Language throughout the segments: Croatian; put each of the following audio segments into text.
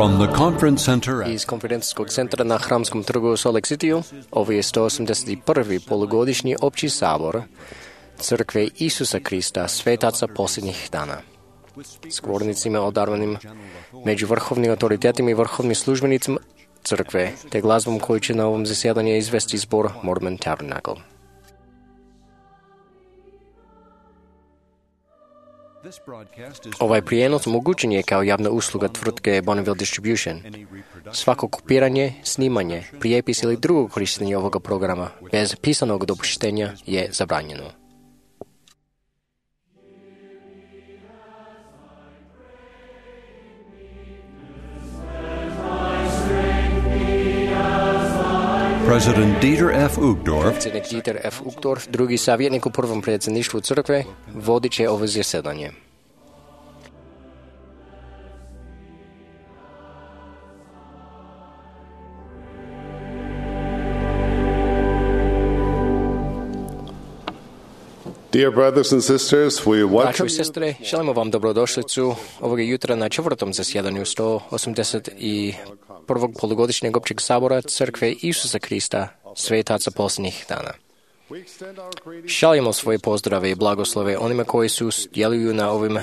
From the conference center Iz konferencijskog centra na Hramskom trgu u Salt Lake Cityu, ovo je 181. polugodišnji opći sabor Crkve Isusa Krista, svetaca posljednjih dana. S govornicima odarvanim među vrhovnim autoritetima i vrhovnim službenicima Crkve, te glazbom koju će na ovom zasjedanju izvesti zbor Mormon Tabernacle. Ovaj prijenos omogućen je kao javna usluga tvrtke Bonneville Distribution. Svako kopiranje, snimanje, prijepis ili drugo korištenje ovoga programa bez pisanog dopuštenja je zabranjeno. President Dieter F. Uchtdorf, Predsjednik Dieter F. Uchtdorf, drugi savjetnik u prvom predsjedništvu crkve, vodit će ovo zasjedanje. Dear brothers and sisters, we Braćo welcome i sestre, želimo vam dobrodošlicu ovoga jutra na četvrtom zasjedanju 181. polugodišnjeg općeg sabora Crkve Isusa Krista, svetaca posljednjih dana. Šaljemo svoje pozdrave i blagoslove onima koji su djeluju na ovim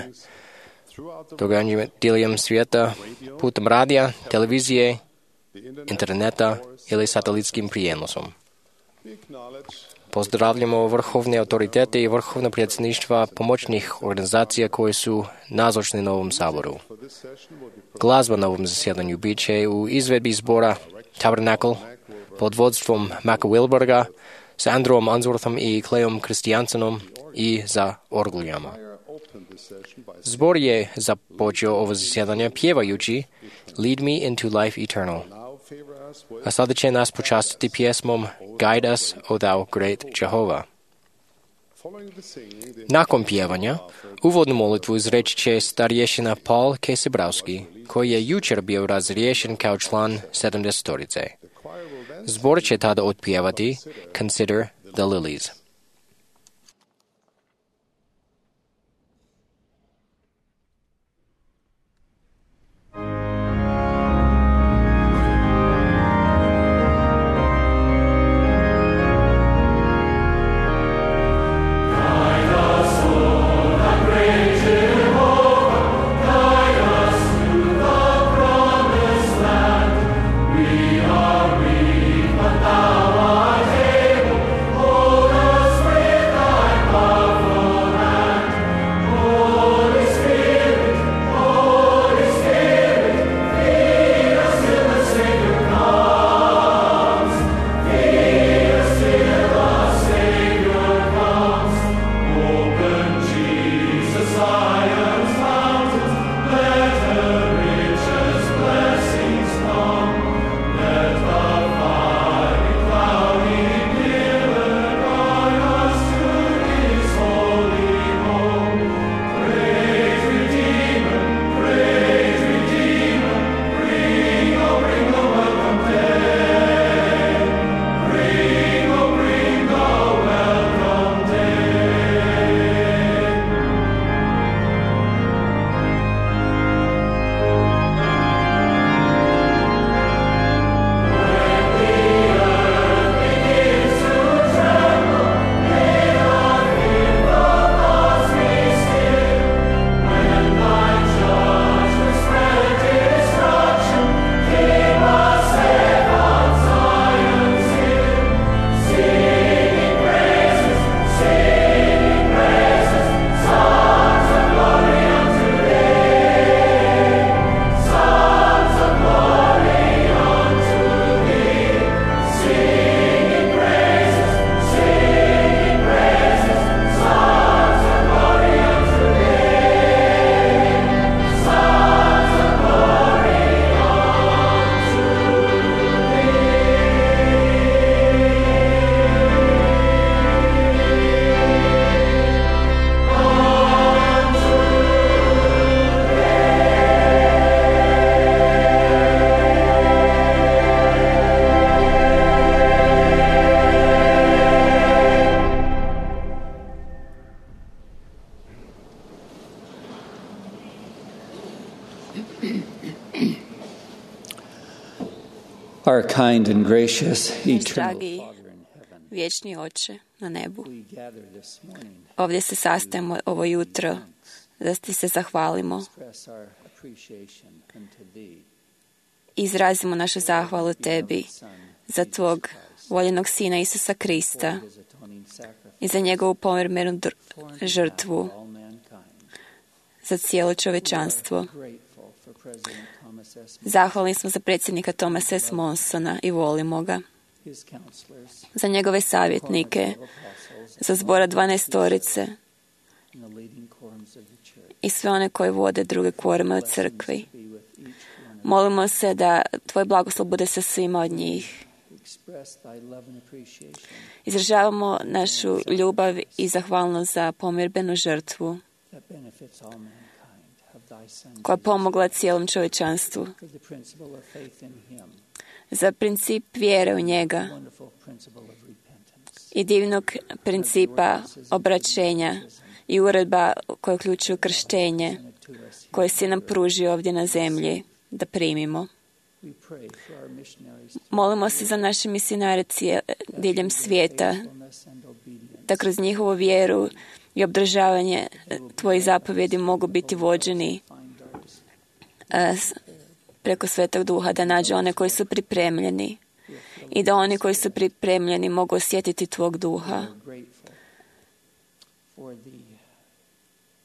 događanjima diljem svijeta putem radija, televizije, interneta ili satelitskim prijenosom. Pozdravljamo vrhovne autoritete i vrhovna predsjedništva pomoćnih organizacija koje su nazočni na ovom saboru. Glazba na ovom zasjedanju bit će u izvedbi zbora Tabernacle pod vodstvom Maka Wilberga s Andrewom Unsworthom i Clayom Christiansenom i za orguljama. Zbor je započeo ovo zasjedanje pjevajući Lead Me into Life Eternal. A sada će nas počastiti pjesmom Guide Us, O Thou Great Jehovah. Nakon pjevanja, uvodnu molitvu izreći će starješina Paul Kesebrowski, koji je jučer bio razriješen kao član 70-torice. Zbor će tada otpjevati Consider the Lilies. Thou art able, hold us Our kind and gracious Naš eternal dragi Father in heaven, vječni Oče na nebu. we gather this morning Ovdje se sastajemo ovo jutro da ti se zahvalimo. express our appreciation unto thee, Izrazimo našu zahvalu tebi Son, za tvog voljenog Sina Isusa Krista his atoning sacrifice i za njegovu pomirmenu žrtvu for all mankind. za cijelo čovečanstvo. Grateful for President Thomas S. Zahvalni smo za predsjednika Thomasa S. Monsona i volimo ga. his counselors, Za njegove savjetnike, apostles, za zbora 12 and the leading quorums of the church. i sve one koji vode druge kvorume u crkvi. Be with each one of Molimo se da tvoj blagoslov bude sa svima od njih. us. Express thy love and appreciation Izražavamo našu ljubav i zahvalnost za pomirbenu žrtvu that benefits all mankind of thy Son, koja je pomogla cijelom čovječanstvu, for the principle of faith in him, za princip vjere u njega wonderful principle of repentance, i divnog principa obraćenja i uredba koja uključuju krštenje to us. koje si nam pružio ovdje na zemlji da primimo. We pray for our missionaries, Molimo se za naše misionare diljem svijeta, faithfulness and obedience. da kroz njihovu vjeru i obdržavanje tvojih zapovjedi mogu biti vođeni preko Svetog Duha, da nađe one koji su pripremljeni i da oni koji su pripremljeni mogu osjetiti tvog Duha. Grateful for the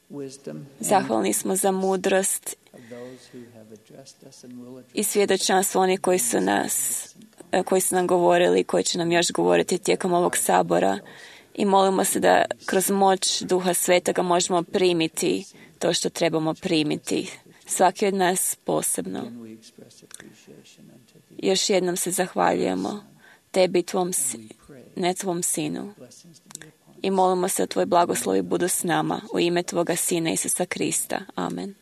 wisdom Zahvalni smo za mudrost of those who have addressed us and will address i svjedočanstvo onih koji su nam govorili i koji će nam još govoriti tijekom ovog sabora. I molimo se da kroz moć Duha Svetoga možemo primiti to što trebamo primiti. Svaki od nas posebno. and we express appreciation unto thee. Još jednom se zahvaljujemo tebi i tvom sinu. Blessings to be upon I molimo se da tvoj blagoslovi budu s nama u ime tvoga Sina Isusa Krista. Amen.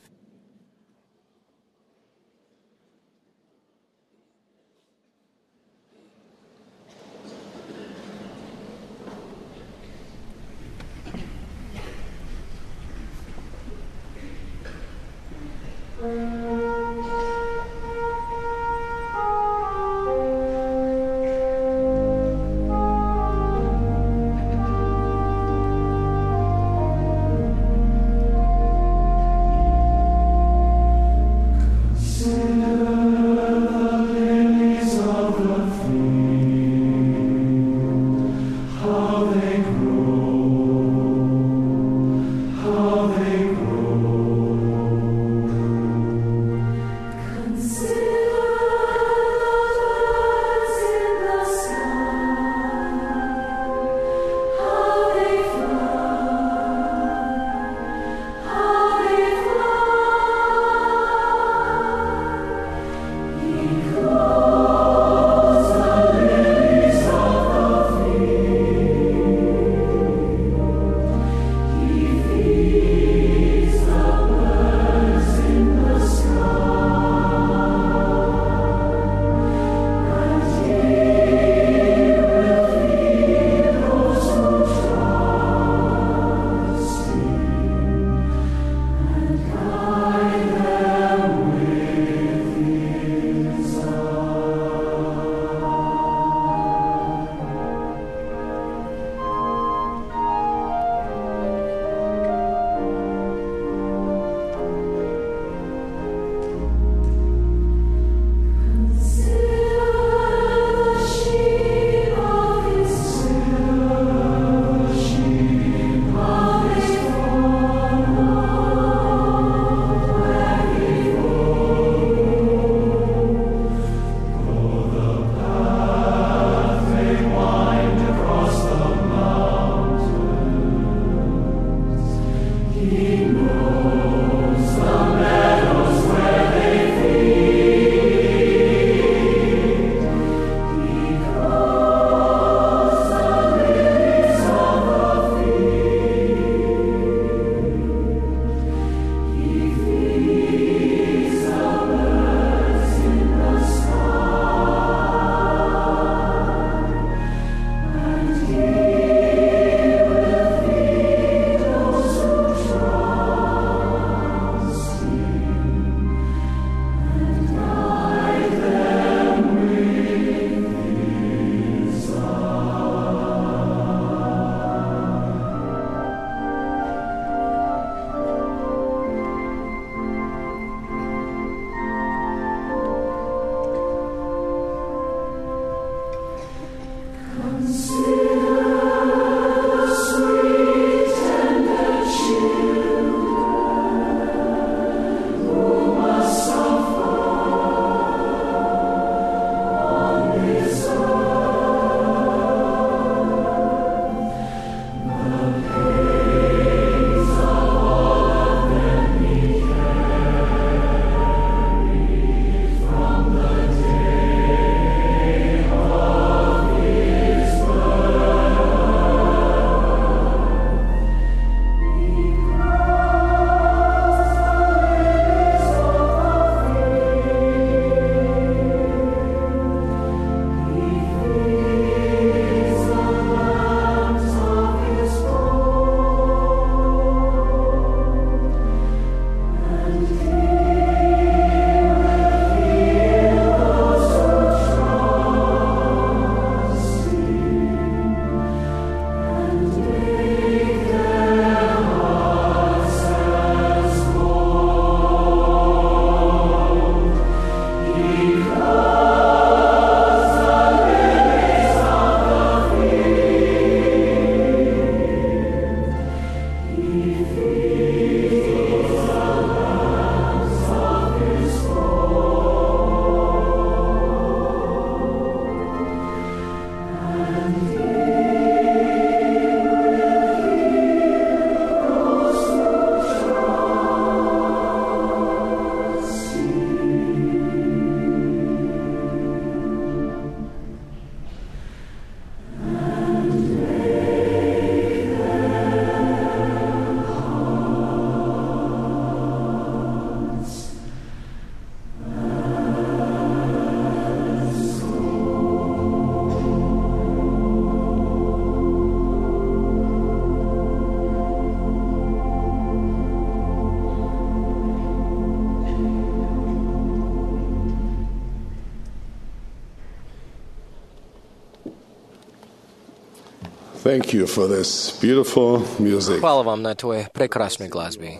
Thank you for this beautiful music. Hvala vam na tvoje prekrasnoj glazbi.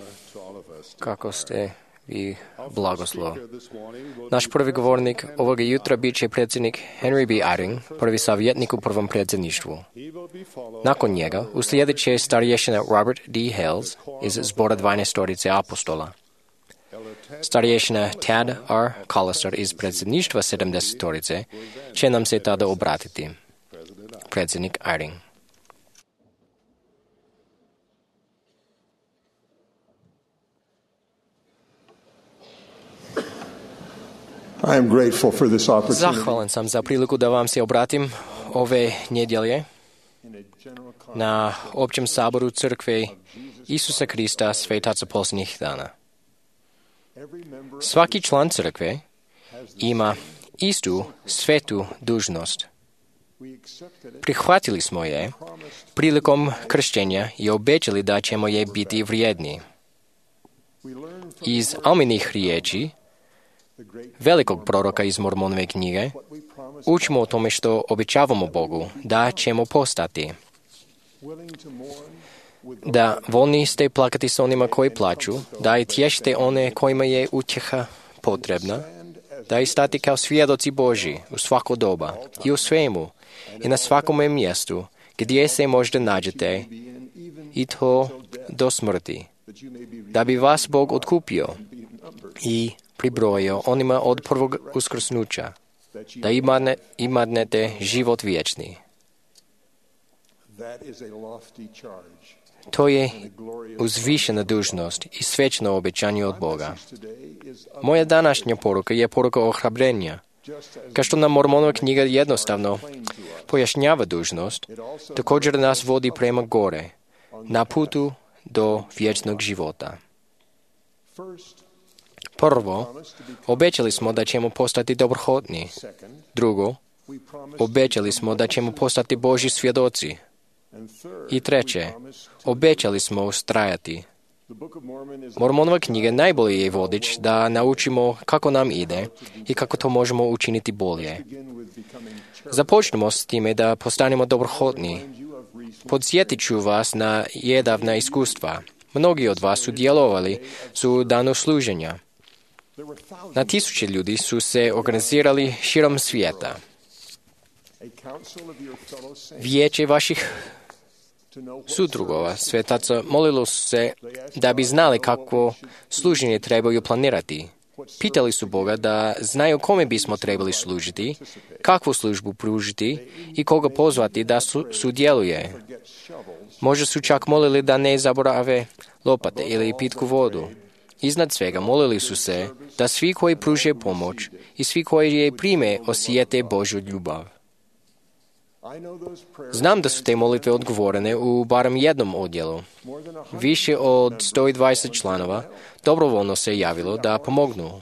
Kako ste vi blagoslov. Naš prvi govornik ovoga jutra bit će predsjednik Henry B. Eyring, prvi savjetnik u prvom predsjedništvu. Nakon njega uslijedit će starješina Robert D. Hales iz zbora 12 apostola. Starješina Tad R. Collister iz predsjedništva 70 će nam se tada obratiti. Predsjednik Eyring. I am grateful for this opportunity. Zahvalan sam za priliku da vam se obratim ove nedjelje na općem saboru crkve Isusa Krista svetaca posljednjih dana. Svaki član crkve ima istu svetu dužnost. Prihvatili smo je prilikom krštenja i obećali da ćemo je biti vrijedni. Iz Alminih riječi velikog proroka iz Mormonove knjige učimo o tome što obećavamo Bogu da ćemo postati. Da voljni ste plakati s onima koji plaću, da i tješite one kojima je utjeha potrebna, da i stati kao svjedoci Božji u svako doba i u svemu i na svakome mjestu gdje se možda nađete i to do smrti, da bi vas Bog otkupio i pribrojio onima od prvog uskrsnuća, da imadnete život vječni. To je uzvišena dužnost i svečno obećanje od Boga. Moja današnja poruka je poruka ohrabrenja. Kao što nam Mormonova knjiga jednostavno pojašnjava dužnost, također nas vodi prema gore, na putu do vječnog života. Prvo, obećali smo da ćemo postati dobrohotni. Drugo, obećali smo da ćemo postati Božji svjedoci. I treće, obećali smo ustrajati. Mormonova knjiga najbolji je vodič da naučimo kako nam ide i kako to možemo učiniti bolje. Započnemo s time da postanemo dobrohotni. Podsjetit ću vas na jedavna iskustva. Mnogi od vas su djelovali u danu služenja. Na tisuće ljudi su se organizirali širom svijeta. Vijeće vaših sudrugova, svetaca, molilo se da bi znali kakvo služenje trebaju planirati. Pitali su Boga da znaju kome bismo trebali služiti, kakvu službu pružiti i koga pozvati da sudjeluje. Možda su čak molili da ne zaborave lopate ili pitku vodu. Iznad svega molili su se da svi koji pruže pomoć i svi koji je prime osjete Božju ljubav. Znam da su te molitve odgovorene u barem jednom odjelu. Više od 120 članova dobrovoljno se javilo da pomognu.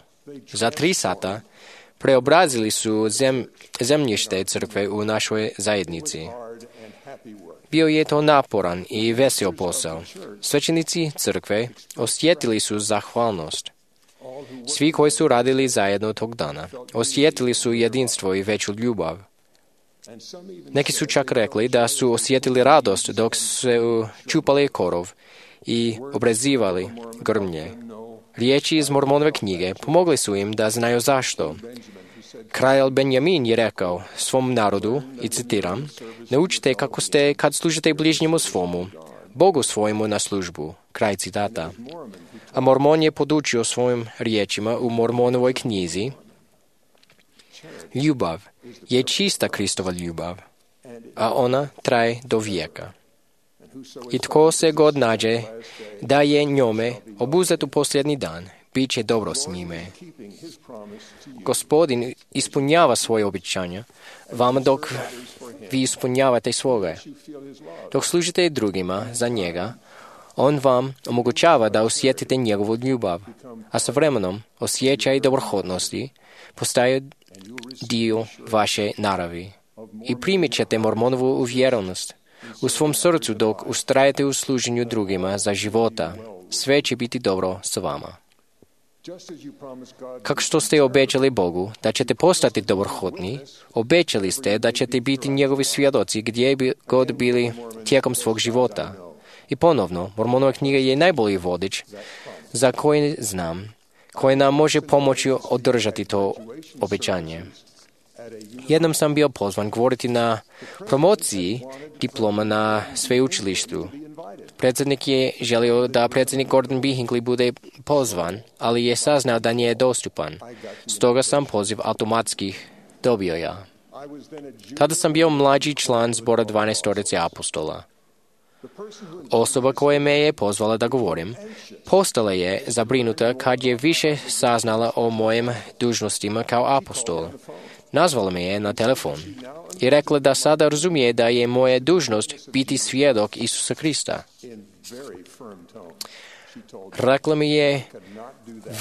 Za 3 sata preobrazili su zemljište crkve u našoj zajednici. Bio je to naporan i vesel posao. Svećenici crkve osjetili su zahvalnost. Svi koji su radili zajedno tog dana osjetili su jedinstvo i veću ljubav. Neki su čak rekli da su osjetili radost dok su čupali korov i obrezivali grmlje. Riječi iz Mormonove knjige pomogli su im da znaju zašto. Kralj Benjamin je rekao svom narodu, i citiram, naučite kako ste kad služite bližnjemu svomu, Bogu svojemu na službu. Kraj citata. A Mormon je podučio svojim riječima u Mormonovoj knjizi: ljubav je čista Kristova ljubav, a ona traje do vijeka. I tko se god nađe da je njome obuzet u posljednji dan, bit će dobro s njime. Gospodin ispunjava svoje obećanja vama dok vi ispunjavate svoje. Dok služite drugima za njega, on vam omogućava da osjetite njegovu ljubav, a sa vremenom osjećaj dobrohodnosti postaje dio vaše naravi. I primit ćete Mormonovu uvjerenost u svom srcu dok ustrajete u služenju drugima za života. Sve će biti dobro s vama. Kako što ste obećali Bogu da ćete postati dobrohodni, obećali ste da ćete biti njegovi svjedoci gdje bi god bili tijekom svog života. I ponovno, Mormonova knjiga je najbolji vodič za koji znam, koji nam može pomoći održati to obećanje. Jednom sam bio pozvan govoriti na promociji diploma na sveučilištu. Predsjednik je želio da predsjednik Gordon B. Hinckley bude pozvan, ali je saznao da nije dostupan. Stoga sam poziv automatski dobio ja. Tada sam bio mlađi član zbora 12 apostola. Osoba koja me je pozvala da govorim, postala je zabrinuta kad je više saznala o mojim dužnostima kao apostol. Nazvala me je na telefon i rekla da sada razumije da je moja dužnost biti svjedok Isusa Krista. Rekla mi je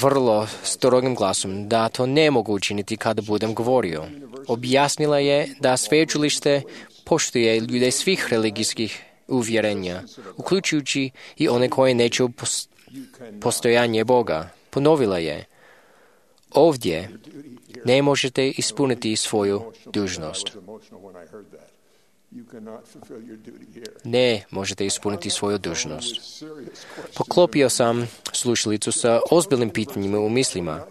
vrlo strogim glasom da to ne mogu učiniti kada budem govorio. Objasnila je da sveučilište poštuje ljude svih religijskih uvjerenja, uključujući i one koje neću postojanje Boga. Ponovila je: ovdje ne možete ispuniti svoju dužnost. Ne možete ispuniti svoju dužnost. Poklopio sam slušalicu sa ozbiljnim pitanjima u mislima.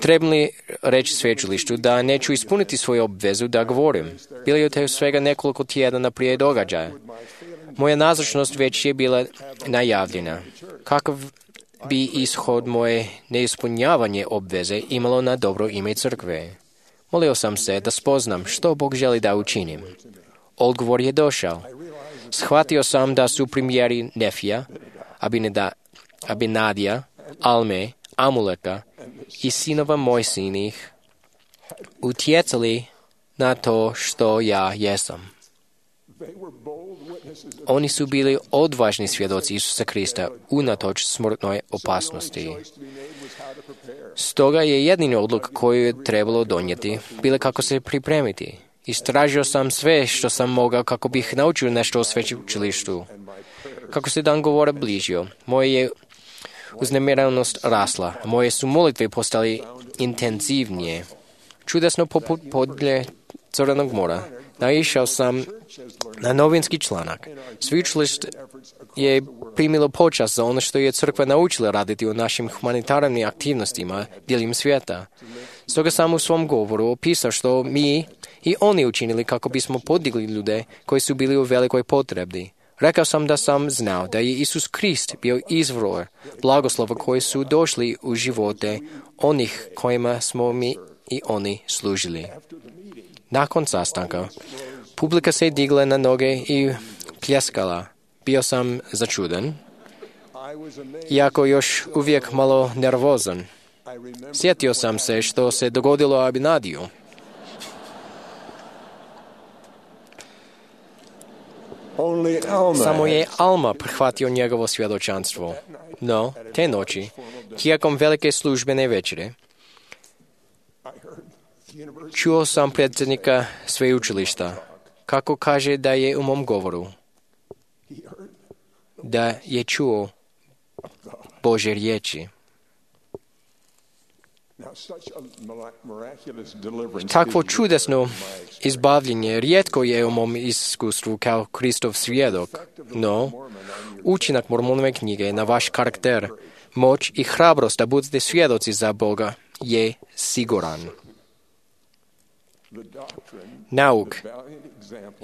Trebam li reći sveučilištu da neću ispuniti svoju obvezu da govorim? Bilo je to svega nekoliko tjedana prije događaja. Moja nazočnost već je bila najavljena. Kakav bi ishod moje neispunjavanje obveze imalo na dobro ime crkve? Molio sam se da spoznam što Bog želi da učinim. Odgovor je došao. Shvatio sam da su primjeri Nefija, Abinadija, Alme, Amuleka i sinova Mojsinih utjecali na to što ja jesam. Oni su bili odvažni svjedoci Isusa Krista unatoč smrtnoj opasnosti. Stoga je jedini odluk koju je trebalo donijeti bila kako se pripremiti. Istražio sam sve što sam mogao kako bih naučio nešto o sveučilištu. Kako se dan govora bližio, moja je uznemiranost rasla, moje su molitve postale intenzivnije. Čudesno poput podlje Crvenog mora, naišao sam na novinski članak. Sveučilište je primilo počast za ono što je crkva naučila raditi u našim humanitarnim aktivnostima diljem svijeta. Stoga sam u svom govoru opisao što mi i oni učinili kako bismo podigli ljude koji su bili u velikoj potrebi. Rekao sam da sam znao da je Isus Krist bio izvor blagoslova koji su došli u živote onih kojima smo mi i oni služili. Nakon sastanka, publika se digla na noge i pljeskala. Bio sam začuden, iako još uvijek malo nervozan. Sjetio sam se što se dogodilo Abinadiju. Samo je Alma prihvatio njegovo svjedočanstvo. No, te noći, tijekom velike službene večere, čuo sam predsjednika sveučilišta, kako kaže da je u mom govoru, da je čuo Božje riječi. Takvo čudesno izbavljenje rijetko je u mom iskustvu kao Kristov svjedok, no učinak Mormonove knjige na vaš karakter, moć i hrabrost da budete svjedoci za Boga je siguran. Nauk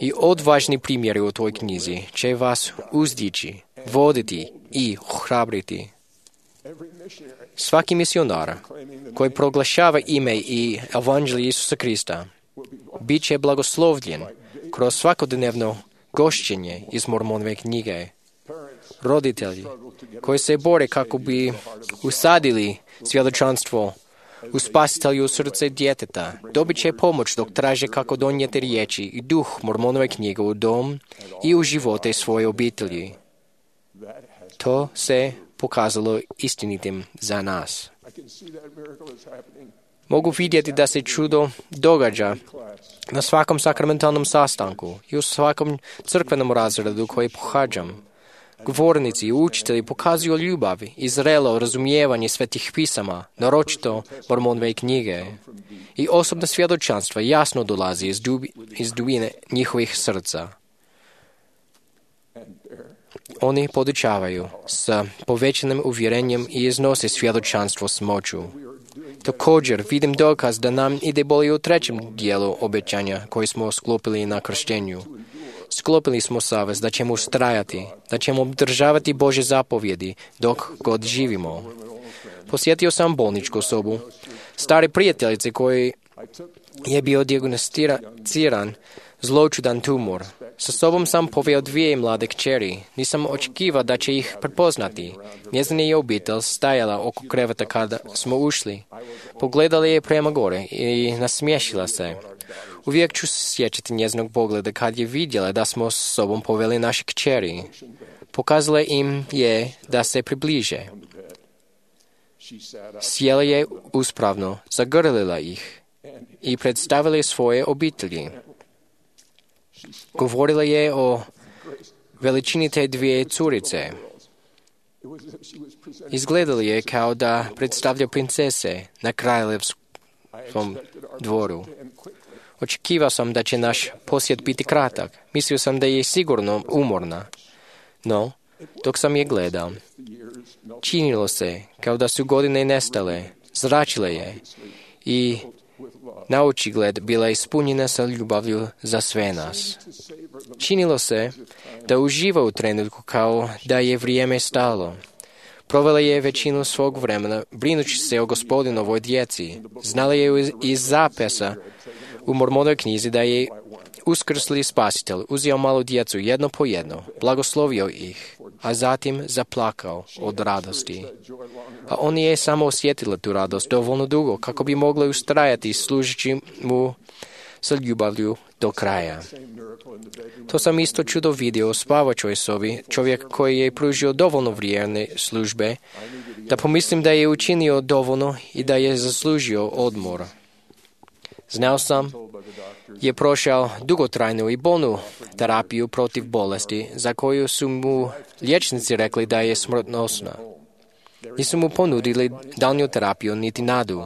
i odvažni primjeri u toj knjizi će vas uzdići, voditi i ohrabriti. Svaki misionar koji proglašava ime i evanđelje Isusa Krista bit će blagoslovljen kroz svakodnevno gošćenje iz Mormonove knjige. Roditelji koji se bore kako bi usadili svjedočanstvo u spasitelju srce djeteta dobit će pomoć dok traže kako donijeti riječi i duh Mormonove knjige u dom i u živote svoje obitelji. To se pokazalo istinitim za nas. Mogu vidjeti da se čudo događa na svakom sakramentalnom sastanku i u svakom crkvenom razredu koji pohađam. Govornici i učitelji pokazuju ljubav i zrelo razumijevanje svetih pisama, naročito Mormonove knjige. I osobna svjedočanstva jasno dolazi iz dubine njihovih srca. Oni podučavaju sa povećanim uvjerenjem i iznose svjedočanstvo s moću. Također vidim dokaz da nam ide bolje u trećem dijelu obećanja koji smo sklopili na krštenju. Sklopili smo savez da ćemo ustrajati, da ćemo obdržavati Božje zapovjedi dok god živimo. Posjetio sam bolničku sobu stare prijateljice koji je bio dijagnosticiran zloćudan tumor. Sa sobom sam poveo 2 mlade kćeri. Nisam očekivao da će ih prepoznati. Njezina je obitelj stajala oko kreveta kada smo ušli. Pogledala je prema gore i nasmiješila se. Uvijek ću se sjećati njezinog pogleda kad je vidjela da smo s sobom poveli naše kćeri. Pokazala im je da se približe. Sjela je uspravno, zagrlila ih i predstavila je svoje obitelji. Govorila je o veličini te 2 curice. Izgledala je kao da predstavlja princese na kraljevskom dvoru. Očekivao sam da će naš posjet biti kratak. Mislio sam da je sigurno umorna. No, dok sam je gledao, činilo se kao da su godine nestale, zračile je i na očigled bila ispunjena sa ljubavlju za sve nas. Činilo se da uživa u trenutku kao da je vrijeme stalo. Provela je većinu svog vremena brinući se o Gospodinovoj djeci. Znala je iz zapisa u Mormonoj knjizi da je uskrsli spasitelj uzeo malu djecu jedno po jedno, blagoslovio ih, a zatim zaplakao od radosti. A on je samo osjetila tu radost dovoljno dugo kako bi mogla ustrajati služeći mu sa ljubavlju do kraja. To sam isto čudo vidio u spavačoj sobi, čovjek koji je pružio dovoljno vrijeme službe, da pomislim da je učinio dovoljno i da je zaslužio odmor. Znao sam, je prošao dugotrajnu i bolnu terapiju protiv bolesti, za koju su mu liječnici rekli da je smrtnosna. Nisu mu ponudili daljnju terapiju niti nadu.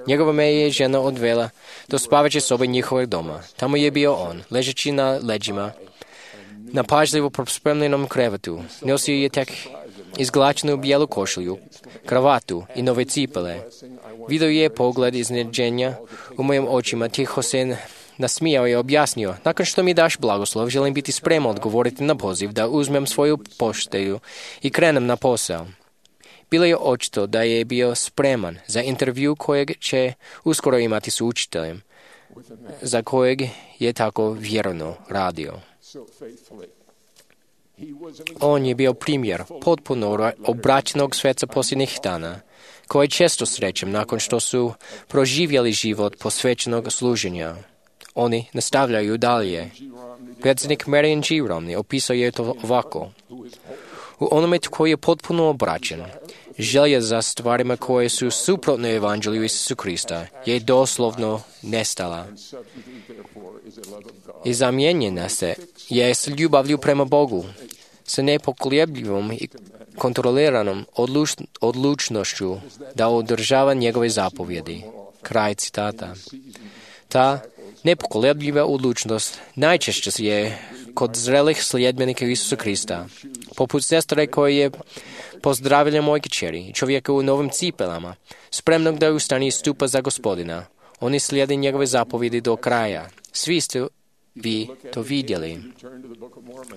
Njegova me je žena odvela do spavaće sobe njihovog doma. Tamo je bio on, ležeći na leđima, na pažljivo prospremljenom krevetu. Nosio je tek izglačenu bijelu košulju, kravatu i nove cipele. Video je pogled iznenađenja u mojim očima. Tiho se nasmijao i objasnio: nakon što mi daš blagoslov, želim biti spreman odgovoriti na poziv da uzmem svoju pošteju i krenem na posao. Bilo je očito da je bio spreman za intervju kojeg će uskoro imati s učiteljem, za kojeg je tako vjerno radio. On je bio primjer potpuno obraćenog sveca posljednjih dana, koje često srećem nakon što su proživjeli život posvećenog služenja. Oni nastavljaju dalje. Predsjednik Marion G. Romney opisao je to ovako: u onome tko je potpuno obraćen, želja za stvarima koje su suprotne Evanđelju Isusu Krista je doslovno nestala i zamijenjena se je s ljubavlju prema Bogu, sa nepokolebljivom i kontroliranom odlučnošću da održava njegove zapovjedi. Kraj citata. Ta nepokolebljiva odlučnost najčešće je kod zrelih sljedbenika Isusa Krista, poput sestre koje je pozdravila moje kćeri, čovjeka u novim cipelama, spremnog da ustane i stupa za Gospodina. Oni slijede njegove zapovjedi do kraja. Svi ste vi to vidjeli.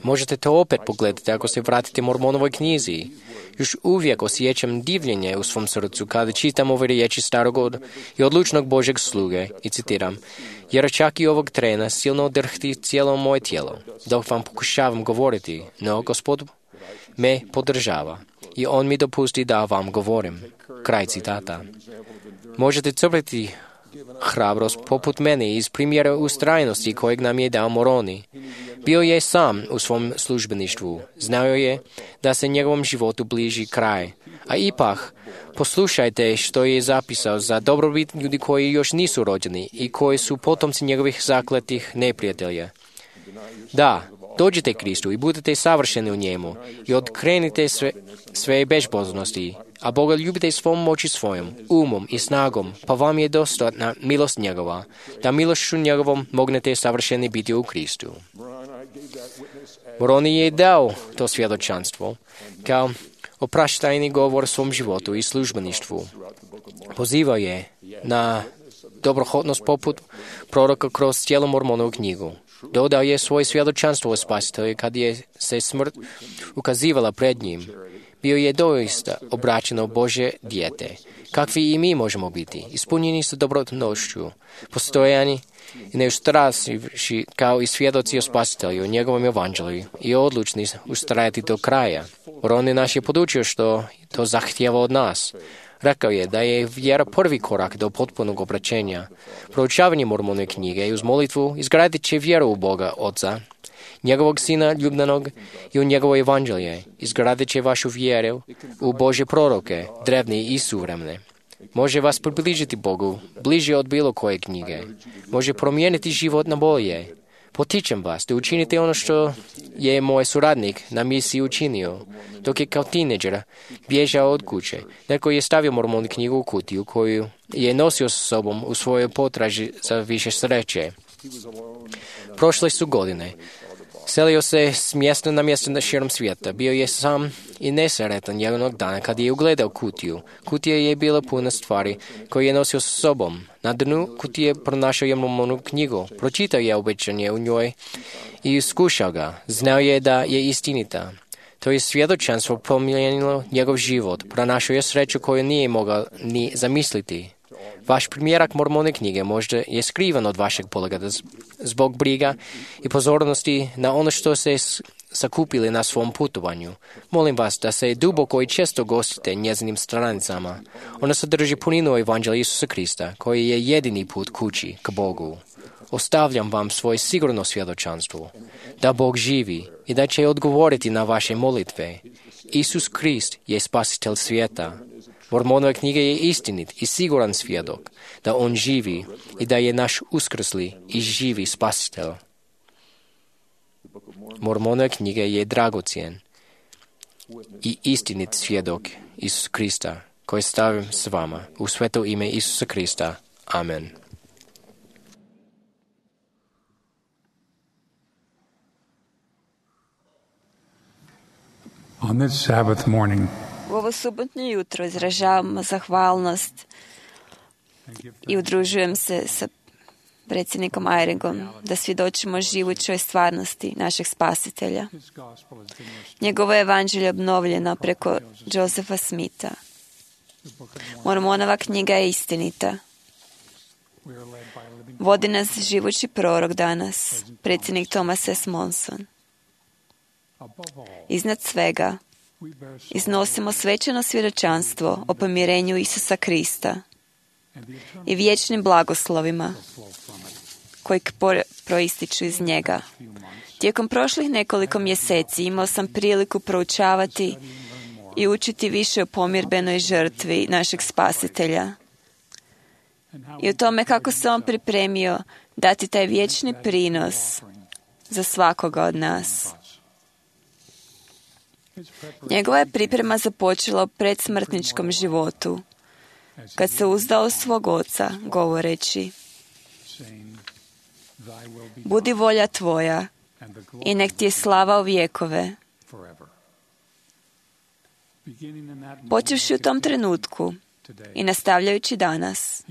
Možete to opet pogledati ako se vratite Mormonovoj knjizi. Još uvijek osjećam divljenje u svom srcu kada čitam ove riječi starog i odlučnog Božeg sluge i citiram: jer čak i ovog trena silno drhti cijelo moje tijelo, dok vam pokušavam govoriti, no Gospod me podržava i On mi dopusti da vam govorim. Kraj citata. Možete crpiti hrabrost poput mene iz primjera ustrajnosti kojeg nam je dao Moroni. Bio je sam u svom službeništvu. Znao je da se njegovom životu bliži kraj. A ipak, poslušajte što je zapisao za dobrobit ljudi koji još nisu rođeni i koji su potomci njegovih zakletih neprijatelja. Da, dođite Kristu i budete savršeni u njemu i odkrenite sve bezbožnosti, a Boga ljubite svom moći svojom, umom i snagom, pa vam je dostatna milost njegova, da milošću njegovom mognete savršeni biti u Kristu. Moroni je dao to svjedočanstvo kao opraštajni govor svom životu i službeništvu. Pozivao je na dobrohotnost poput proroka kroz cijelu Mormonovu knjigu. Dodao je svoje svjedočanstvo o Spasitelju kad je se smrt ukazivala pred njim. Bio je doista obraćeno Božje dijete, kakvi i mi možemo biti, ispunjeni sa dobrotnošću, postojani i neustrasivši kao i svjedoci o Spasitelju, o njegovom evanđelju i odlučni ustrajati do kraja. Moroni nas je podučio što to zahtijeva od nas. Rekao je da je vjera prvi korak do potpunog obraćenja. Proučavanje Mormonove knjige i uz molitvu izgradit će vjeru u Boga Oca, njegovog Sina ljubljenog i u njegovo evanđelje. Izgradit će vašu vjeru u Božje proroke, drevne i suvremene. Može vas približiti Bogu, bliže od bilo koje knjige. Može promijeniti život na bolje. Potičem vas da učinite ono što je moj suradnik na misiji učinio. Dok je kao tineđer bježao od kuće, neko je stavio Mormonu knjigu u kutiju koju je nosio sa sobom u svojoj potraži za više sreće. Prošle su godine. Selio se s mjesta na mjesto širom svijeta. Bio je sam i nesretan jednog dana kad je ugledao kutiju. Kutija je bila puna stvari koje je nosio sa sobom. Na dnu kutije pronašao je Mormonu knjigu. Pročitao je obećanje u njoj i iskušao ga. Znao je da je istinita. To je svjedočanstvo promijenilo njegov život. Pronašao je sreću koju nije mogao ni zamisliti. Vaš primjerak Mormone knjige možda je skrivan od vašeg pogleda zbog briga i pozornosti na ono što se sakupili na svom putovanju. Molim vas da se duboko i često gostite njezinim stranicama. Ona sadrži puninu evanđelja Isusa Krista, koji je jedini put kući k Bogu. Ostavljam vam svoje sigurno svjedočanstvo, da Bog živi i da će odgovoriti na vaše molitve. Isus Krist je spasitelj svijeta. Mormonova knjiga je istinit i siguran svjedok da On živi i da je naš uskrsli i živi spasitelj. Mormonova knjiga je dragocjen i istinit svjedok Isus Krista, koji stavim s vama u sveto ime Isusa Krista. Amen. On this Sabbath morning, U ovo Ovo subotnje jutro izražavam zahvalnost i udružujem se sa predsjednikom Eyringom da svjedočimo živućoj stvarnosti našeg spasitelja. Njegovo evanđelje obnovljeno preko Josepha Smitha. Mormonova knjiga je istinita. Vodi nas živući prorok danas, predsjednik Thomas S. Monson. Iznad svega, iznosimo svečano svjedočanstvo o pomirenju Isusa Krista i vječnim blagoslovima koji proističu iz njega. Tijekom prošlih nekoliko mjeseci imao sam priliku proučavati i učiti više o pomirbenoj žrtvi našeg spasitelja i o tome kako se on pripremio dati taj vječni prinos za svakoga od nas. Njegova je priprema započela u predsmrtničkom životu, kad se uzdao svog oca, govoreći: budi volja tvoja i nek ti je slava u vjekove. Počevši u tom trenutku i nastavljajući danas,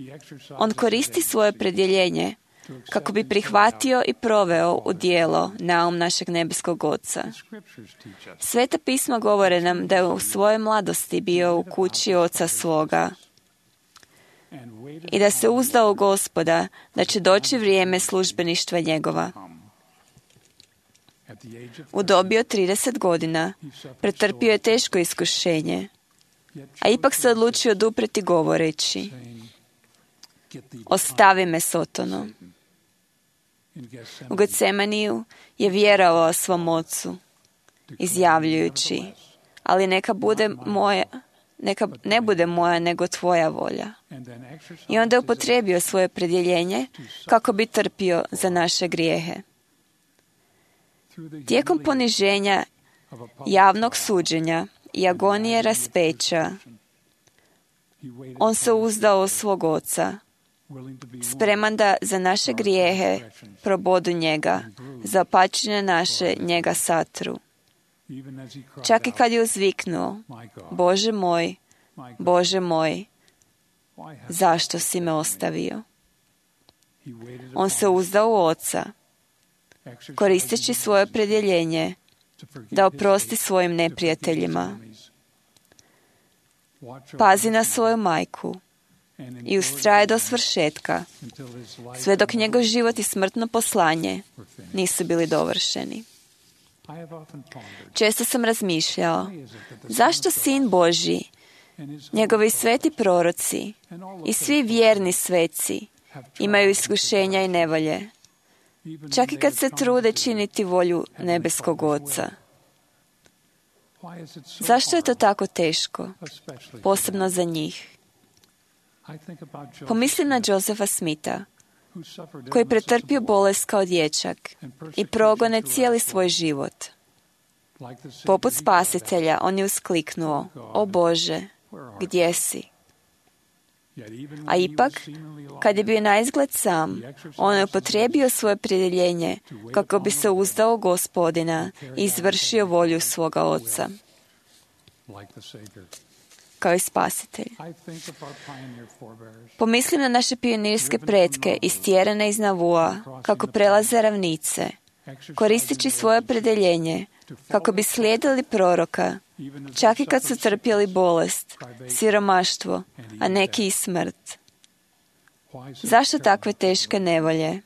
on koristi svoje opredjeljenje kako bi prihvatio i proveo u djelo naum našeg nebeskog Oca. Sveta pisma govore nam da je u svojoj mladosti bio u kući Oca svoga i da se uzdao u Gospoda da će doći vrijeme službeništva njegova. U dobi od 30 godina pretrpio je teško iskušenje, a ipak se odlučio odupreti govoreći: ostavi me, Sotono. U Getsemaniju je vjerovao svom ocu, izjavljujući: ali neka ne bude moja, nego tvoja volja. I onda je upotrijebio svoje opredjeljenje kako bi trpio za naše grijehe. Tijekom poniženja, javnog suđenja i agonije raspeća, on se uzdao u svog oca, spreman da za naše grijehe probodu njega, za opačine naše njega satru. Čak i kad je uzviknuo: Bože moj, Bože moj, zašto si me ostavio? On se uzdao u oca, koristeći svoje opredjeljenje da oprosti svojim neprijateljima. Pazi na svoju majku i ustraje do svršetka, sve dok njegov život i smrtno poslanje nisu bili dovršeni. Često sam razmišljao, zašto Sin Božji, njegovi sveti proroci i svi vjerni sveci imaju iskušenja i nevolje, čak i kad se trude činiti volju nebeskog Oca. Zašto je to tako teško, posebno za njih? Pomislim na Josepha Smitha, koji pretrpio bolest kao dječak i progone cijeli svoj život. Poput spasitelja, on je uskliknuo: o Bože, gdje si? A ipak, kad je bio naizgled sam, on je upotrijebio svoje opredjeljenje kako bi se uzdao u Gospodina i izvršio volju svoga Oca, kao i spasitelj. Pomislim na naše pionirske pretke istjerane iz Navua, kako prelaze ravnice, koristeći svoje opredjeljenje kako bi slijedili proroka, čak i kad su trpjeli bolest, siromaštvo, a neki i smrt. Zašto takve teške nevolje?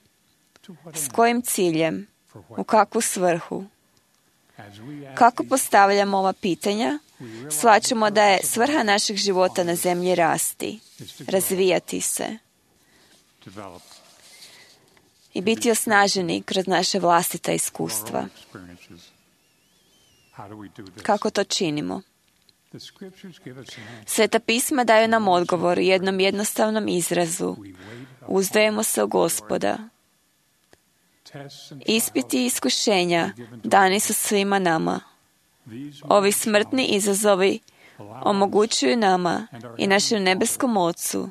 S kojim ciljem? U kakvu svrhu? Kako postavljamo ova pitanja, shvaćamo da je svrha našeg života na zemlji rasti, razvijati se i biti osnaženi kroz naše vlastita iskustva. Kako to činimo? Sveta pisma daju nam odgovor u jednom jednostavnom izrazu: uzdajemo se u Gospoda. Ispiti i iskušenja dani su svima nama. Ovi smrtni izazovi omogućuju nama i našem nebeskom Ocu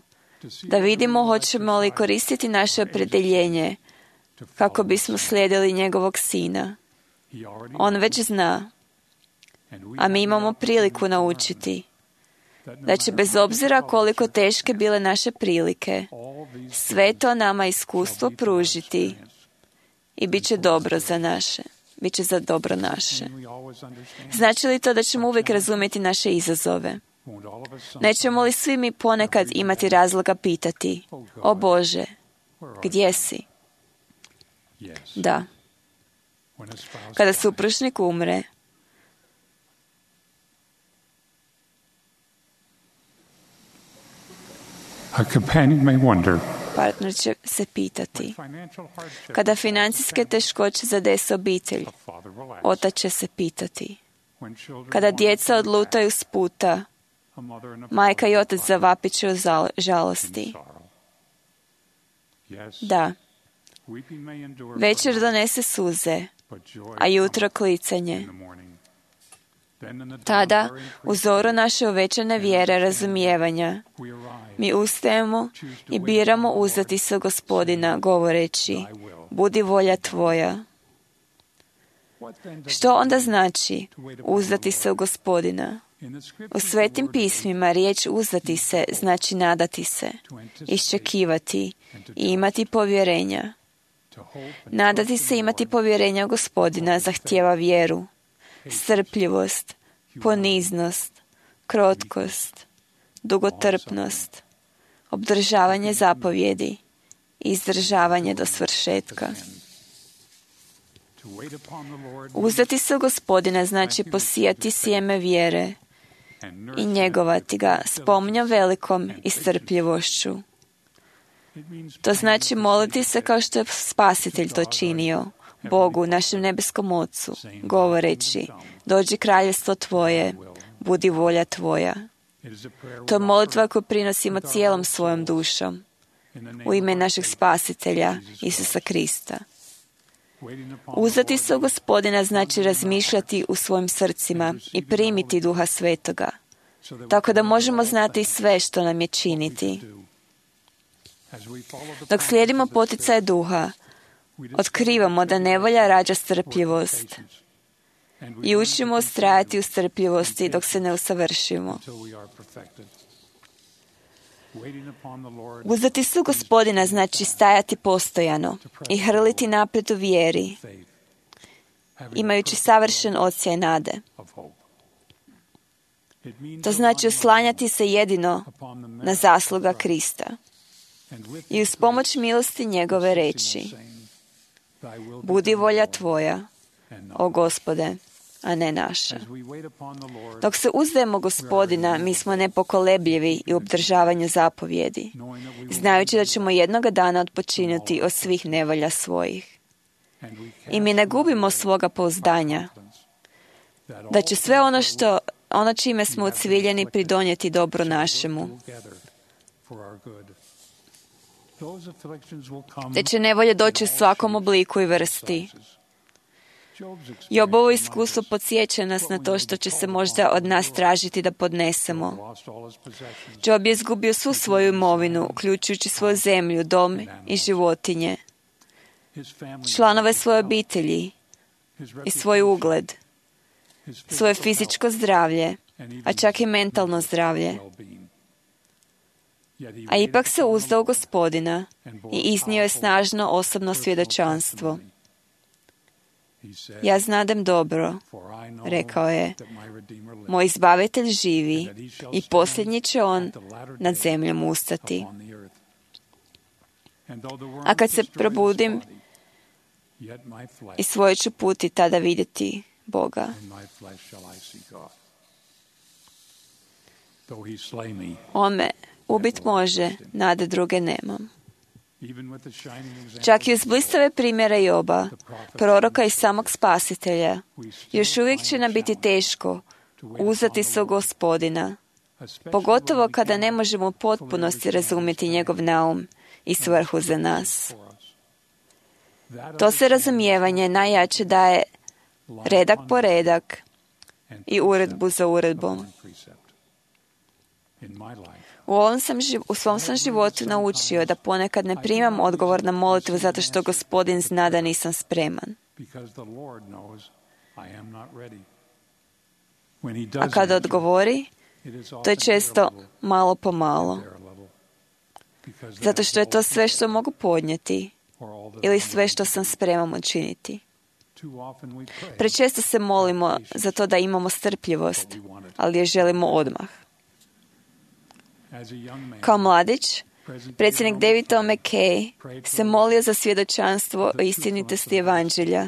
da vidimo hoćemo li koristiti naše opredjeljenje kako bismo slijedili njegovog Sina. On već zna, a mi imamo priliku naučiti da će bez obzira koliko teške bile naše prilike, sve to nama iskustvo pružiti i bit će dobro za naše. Biće za dobro naše. Znači li to da ćemo uvijek razumjeti naše izazove? Nećemo li svi mi ponekad imati razloga pitati: O Bože, gdje si? Da. Kada supružnik umre, a companion may wonder, partner će se pitati. Kada financijske teškoće zadese obitelj, otac će se pitati. Kada djeca odlutaju s puta, majka i otac zavapit će u žalosti. Da, večer donese suze, a jutro klicanje. Tada, u zoru naše uvećane vjere razumijevanja, mi ustajemo i biramo uzdati se Gospodina, govoreći: Budi volja Tvoja. Što onda znači uzdati se u Gospodina? U Svetim pismima riječ uzdati se znači nadati se, iščekivati i imati povjerenja. Nadati se, imati povjerenja u Gospodina zahtijeva vjeru, strpljivost, poniznost, krotkost, dugotrpnost, obdržavanje zapovjedi i izdržavanje do svršetka. Uzdati se u Gospodina znači posijati sjeme vjere i njegovati ga s pomnjom velikom i strpljivošću. To znači moliti se kao što je Spasitelj to činio, Bogu, našem nebeskom Ocu, govoreći: Dođi kraljevstvo Tvoje, budi volja Tvoja. To je molitva koju prinosimo cijelom svojom dušom, u ime našeg Spasitelja, Isusa Krista. Uzdati se u Gospodina znači razmišljati u svojim srcima i primiti Duha Svetoga, tako da možemo znati sve što nam je činiti. Dok slijedimo poticaje Duha, otkrivamo da nevolja rađa strpljivost i učimo ustrajati u strpljivosti dok se ne usavršimo. Uzdati se u Gospodina znači stajati postojano i hrliti naprijed u vjeri, imajući savršen osjećaj nade. To znači oslanjati se jedino na zasluga Krista i uz pomoć milosti njegove reći: Budi volja Tvoja, o Gospode, a ne naša. Dok se uzdajemo Gospodina, mi smo nepokolebljivi i u obdržavanju zapovjedi, znajući da ćemo jednoga dana odpočinuti od svih nevolja svojih. I mi ne gubimo svoga pouzdanja, da će sve ono čime smo ucviljeni pridonijeti dobru našemu. Te će nevolje doći u svakom obliku i vrsti. Jobovo iskustvo podsjeća nas na to što će se možda od nas tražiti da podnesemo. Job je izgubio svu svoju imovinu, uključujući svoju zemlju, dom i životinje, članove svoje obitelji i svoj ugled, svoje fizičko zdravlje, a čak i mentalno zdravlje. A ipak se uzdao u Gospodina i iznio je snažno osobno svjedočanstvo. Ja znadem dobro, rekao je, moj izbavitelj živi i posljednji će on nad zemljom ustati. A kad se probudim, i svoj ću put i tada vidjeti Boga. On me ubit može, nade druge nemam. Čak i uz blistave primjere Joba, proroka i samog Spasitelja, još uvijek će nam biti teško uzdati se u Gospodina, pogotovo kada ne možemo u potpunosti razumjeti njegov naum i svrhu za nas. To se razumijevanje najjače daje redak po redak i uredbu za uredbom. U svom sam životu naučio da ponekad ne primam odgovor na molitvu zato što Gospodin zna da nisam spreman. A kada odgovori, To je često malo po malo, zato što je to sve što mogu podnijeti ili sve što sam spreman učiniti. Prečesto se molimo za to da imamo strpljivost, ali je želimo odmah. Kao mladić, predsjednik David O. McKay se molio za svjedočanstvo o istinitosti evanđelja.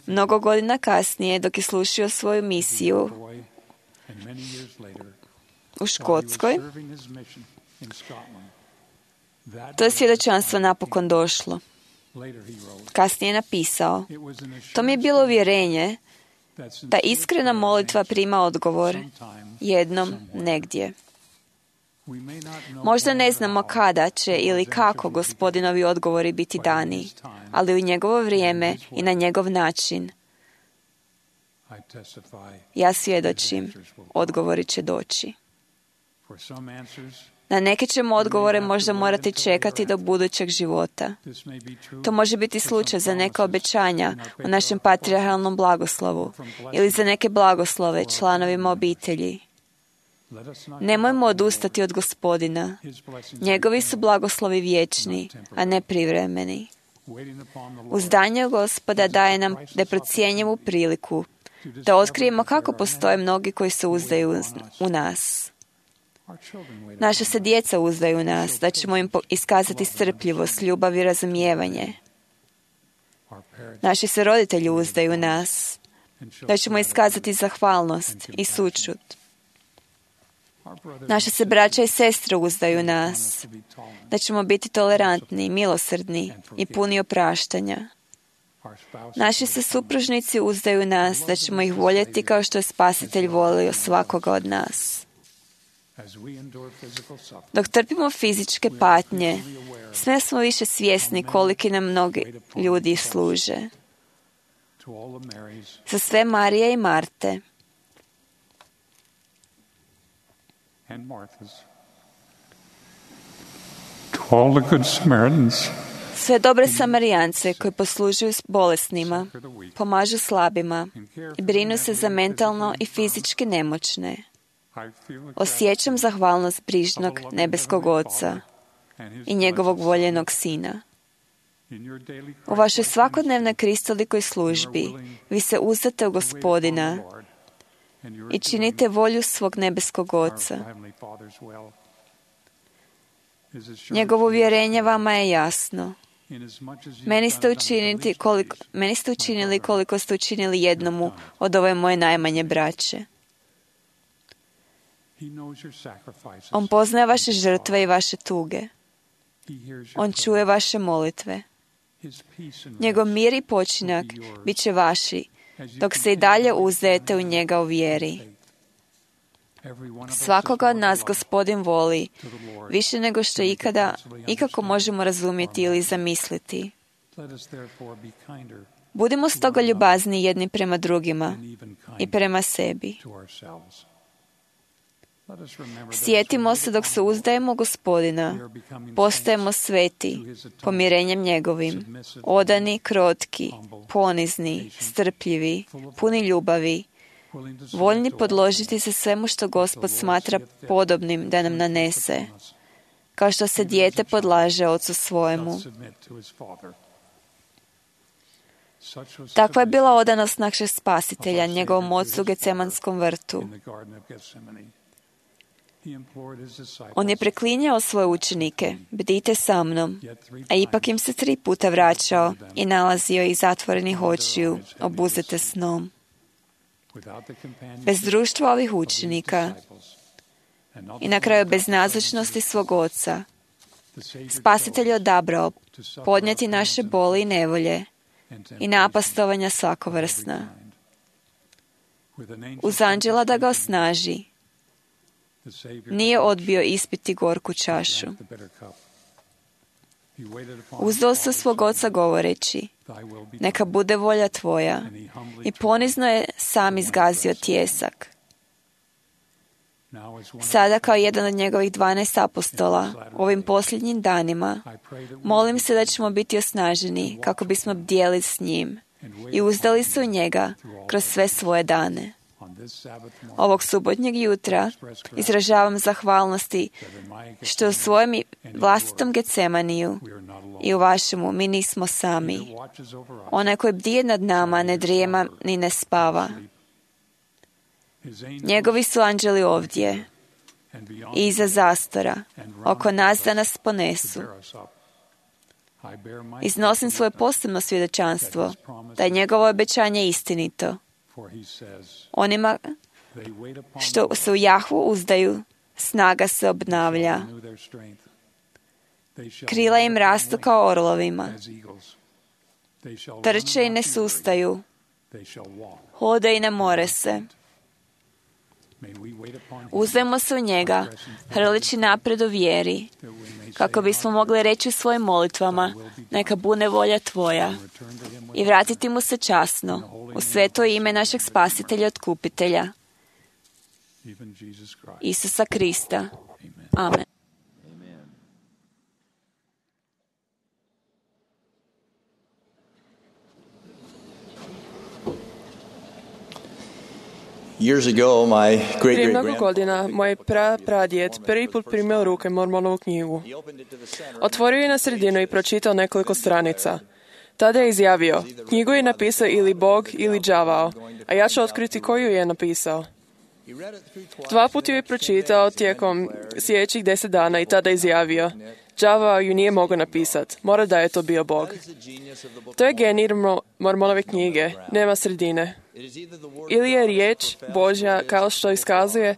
Mnogo godina kasnije, dok je slušao svoju misiju u Škotskoj, to je svjedočanstvo napokon došlo. Kasnije je napisao: to mi je bilo uvjerenje da iskrena molitva prima odgovor jednom negdje. Možda ne znamo kada će ili kako Gospodinovi odgovori biti dani, ali u njegovo vrijeme i na njegov način. Ja svjedočim, odgovori će doći. Na neke ćemo odgovore možda morati čekati do budućeg života. To može biti slučaj za neka obećanja u našem patrijarhalnom blagoslovu ili za neke blagoslove članovima obitelji. Nemojmo odustati od Gospodina. Njegovi su blagoslovi vječni, a ne privremeni. Uzdanje Gospoda daje nam neprocjenjivu priliku da otkrijemo kako postoje mnogi koji se uzdaju u nas. Naša se djeca uzdaju u nas, da ćemo im iskazati strpljivost, ljubav i razumijevanje. Naši se roditelji uzdaju u nas, da ćemo iskazati zahvalnost i sućut. Naše se braća i sestre uzdaju u nas, da ćemo biti tolerantni, milosrdni i puni opraštanja. Naši se supružnici uzdaju u nas, da ćemo ih voljeti kao što je Spasitelj volio svakoga od nas. Dok trpimo fizičke patnje, sve smo više svjesni koliki nam mnogi ljudi služe. Za sve Marije i Marte, to all the good Samaritans, sve dobre Samarijance koji poslužuju bolesnima, pomažu slabima i brinu se za mentalno i fizički nemoćne. Osjećam zahvalnost brižnog nebeskog Oca i njegovog voljenog Sina. U vašoj svakodnevnoj kristolikoj službi vi se uzdate u Gospodina i činite volju svog nebeskog Oca. Njegovo uvjerenje vama je jasno. Meni ste učinili koliko ste učinili jednomu od ove moje najmanje braće. On poznaje vaše žrtve i vaše tuge. On čuje vaše molitve. Njegov mir i počinak bit će vaši, dok se i dalje uzdajete u njega u vjeri. Svakoga od nas Gospodin voli, više nego što ikako možemo razumjeti ili zamisliti. Budimo stoga ljubazni jedni prema drugima i prema sebi. Sjetimo se dok se uzdajemo u Gospodina, postajemo sveti, pomirenjem njegovim, odani, krotki, ponizni, strpljivi, puni ljubavi, voljni podložiti se svemu što Gospod smatra podobnim da nam nanese, kao što se dijete podlaže ocu svojemu. Takva je bila odanost našeg Spasitelja, njegovom ocu u Gecemanskom vrtu. On je preklinjao svoje učenike: bdite sa mnom, a ipak im se 3 puta vraćao i nalazio ih zatvorenih očiju, obuzete snom. Bez društva ovih učenika i na kraju bez nazočnosti svog Oca, Spasitelj je odabrao podnijeti naše boli i nevolje i napastovanja svakovrsna. Uz anđela da ga osnaži, nije odbio ispiti gorku čašu. Uzdao se svog Oca govoreći: neka bude volja tvoja, i ponizno je sam izgazio tijesak. Sada kao jedan od njegovih 12 apostola u ovim posljednjim danima molim se da ćemo biti osnaženi kako bismo bdjeli s njim i uzdali se u njega kroz sve svoje dane. Ovog subotnjeg jutra izražavam zahvalnosti što u svojem vlastitom Getsemaniju i u vašemu mi nismo sami. Onaj koji bdije nad nama ne drijema ni ne spava. Njegovi su anđeli ovdje i iza zastora, oko nas da nas ponesu. Iznosim svoje posebno svjedočanstvo da je njegovo obećanje istinito. Onima što se u Jahvu uzdaju, snaga se obnavlja. Krila im rastu kao orlovima. Trče i ne sustaju. Hode i ne more se. Uzdajmo se u njega, hrlići napred u vjeri, kako bismo mogli reći u svojim molitvama, neka bude volja tvoja, i vratiti mu se časno, u sveto ime našeg spasitelja i otkupitelja, Isusa Krista. Amen. Prije mnogo godina moj pradjed prvi put primio u ruke Mormonovu knjigu. Otvorio je na sredinu i pročitao nekoliko stranica. Tada je izjavio, knjigu je napisao ili Bog ili đavao, a ja ću otkriti koju je napisao. 2 puta ju je pročitao tijekom sljedećih 10 dana i tada izjavio, đavao ju nije mogao napisati, mora da je to bio Bog. To je genij Mormonove knjige, nema sredine. Ili je riječ Božja kao što iskazuje,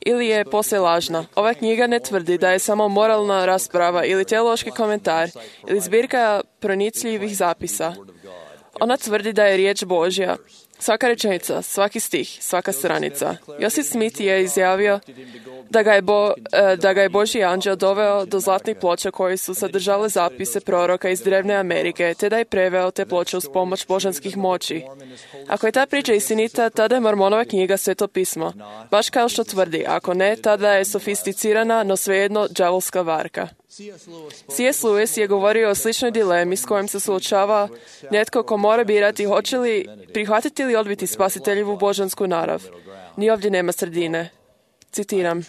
ili je posve lažna. Ova knjiga ne tvrdi da je samo moralna rasprava ili teološki komentar ili zbirka pronicljivih zapisa. Ona tvrdi da je riječ Božja. Svaka rečenica, svaki stih, svaka stranica. Josip Smith je izjavio da ga je Božji anđel doveo do zlatnih ploča koji su sadržale zapise proroka iz drevne Amerike, te da je preveo te ploče uz pomoć božanskih moći. Ako je ta priča istinita, tada je Mormonova knjiga Sveto pismo. Baš kao što tvrdi, ako ne, tada je sofisticirana, no svejedno đavolska varka. C.S. Lewis je govorio o sličnoj dilemi s kojom se suočava netko ko mora birati hoće li prihvatiti ili odbiti spasiteljevu božansku narav. Ni ovdje nema sredine. Citiram,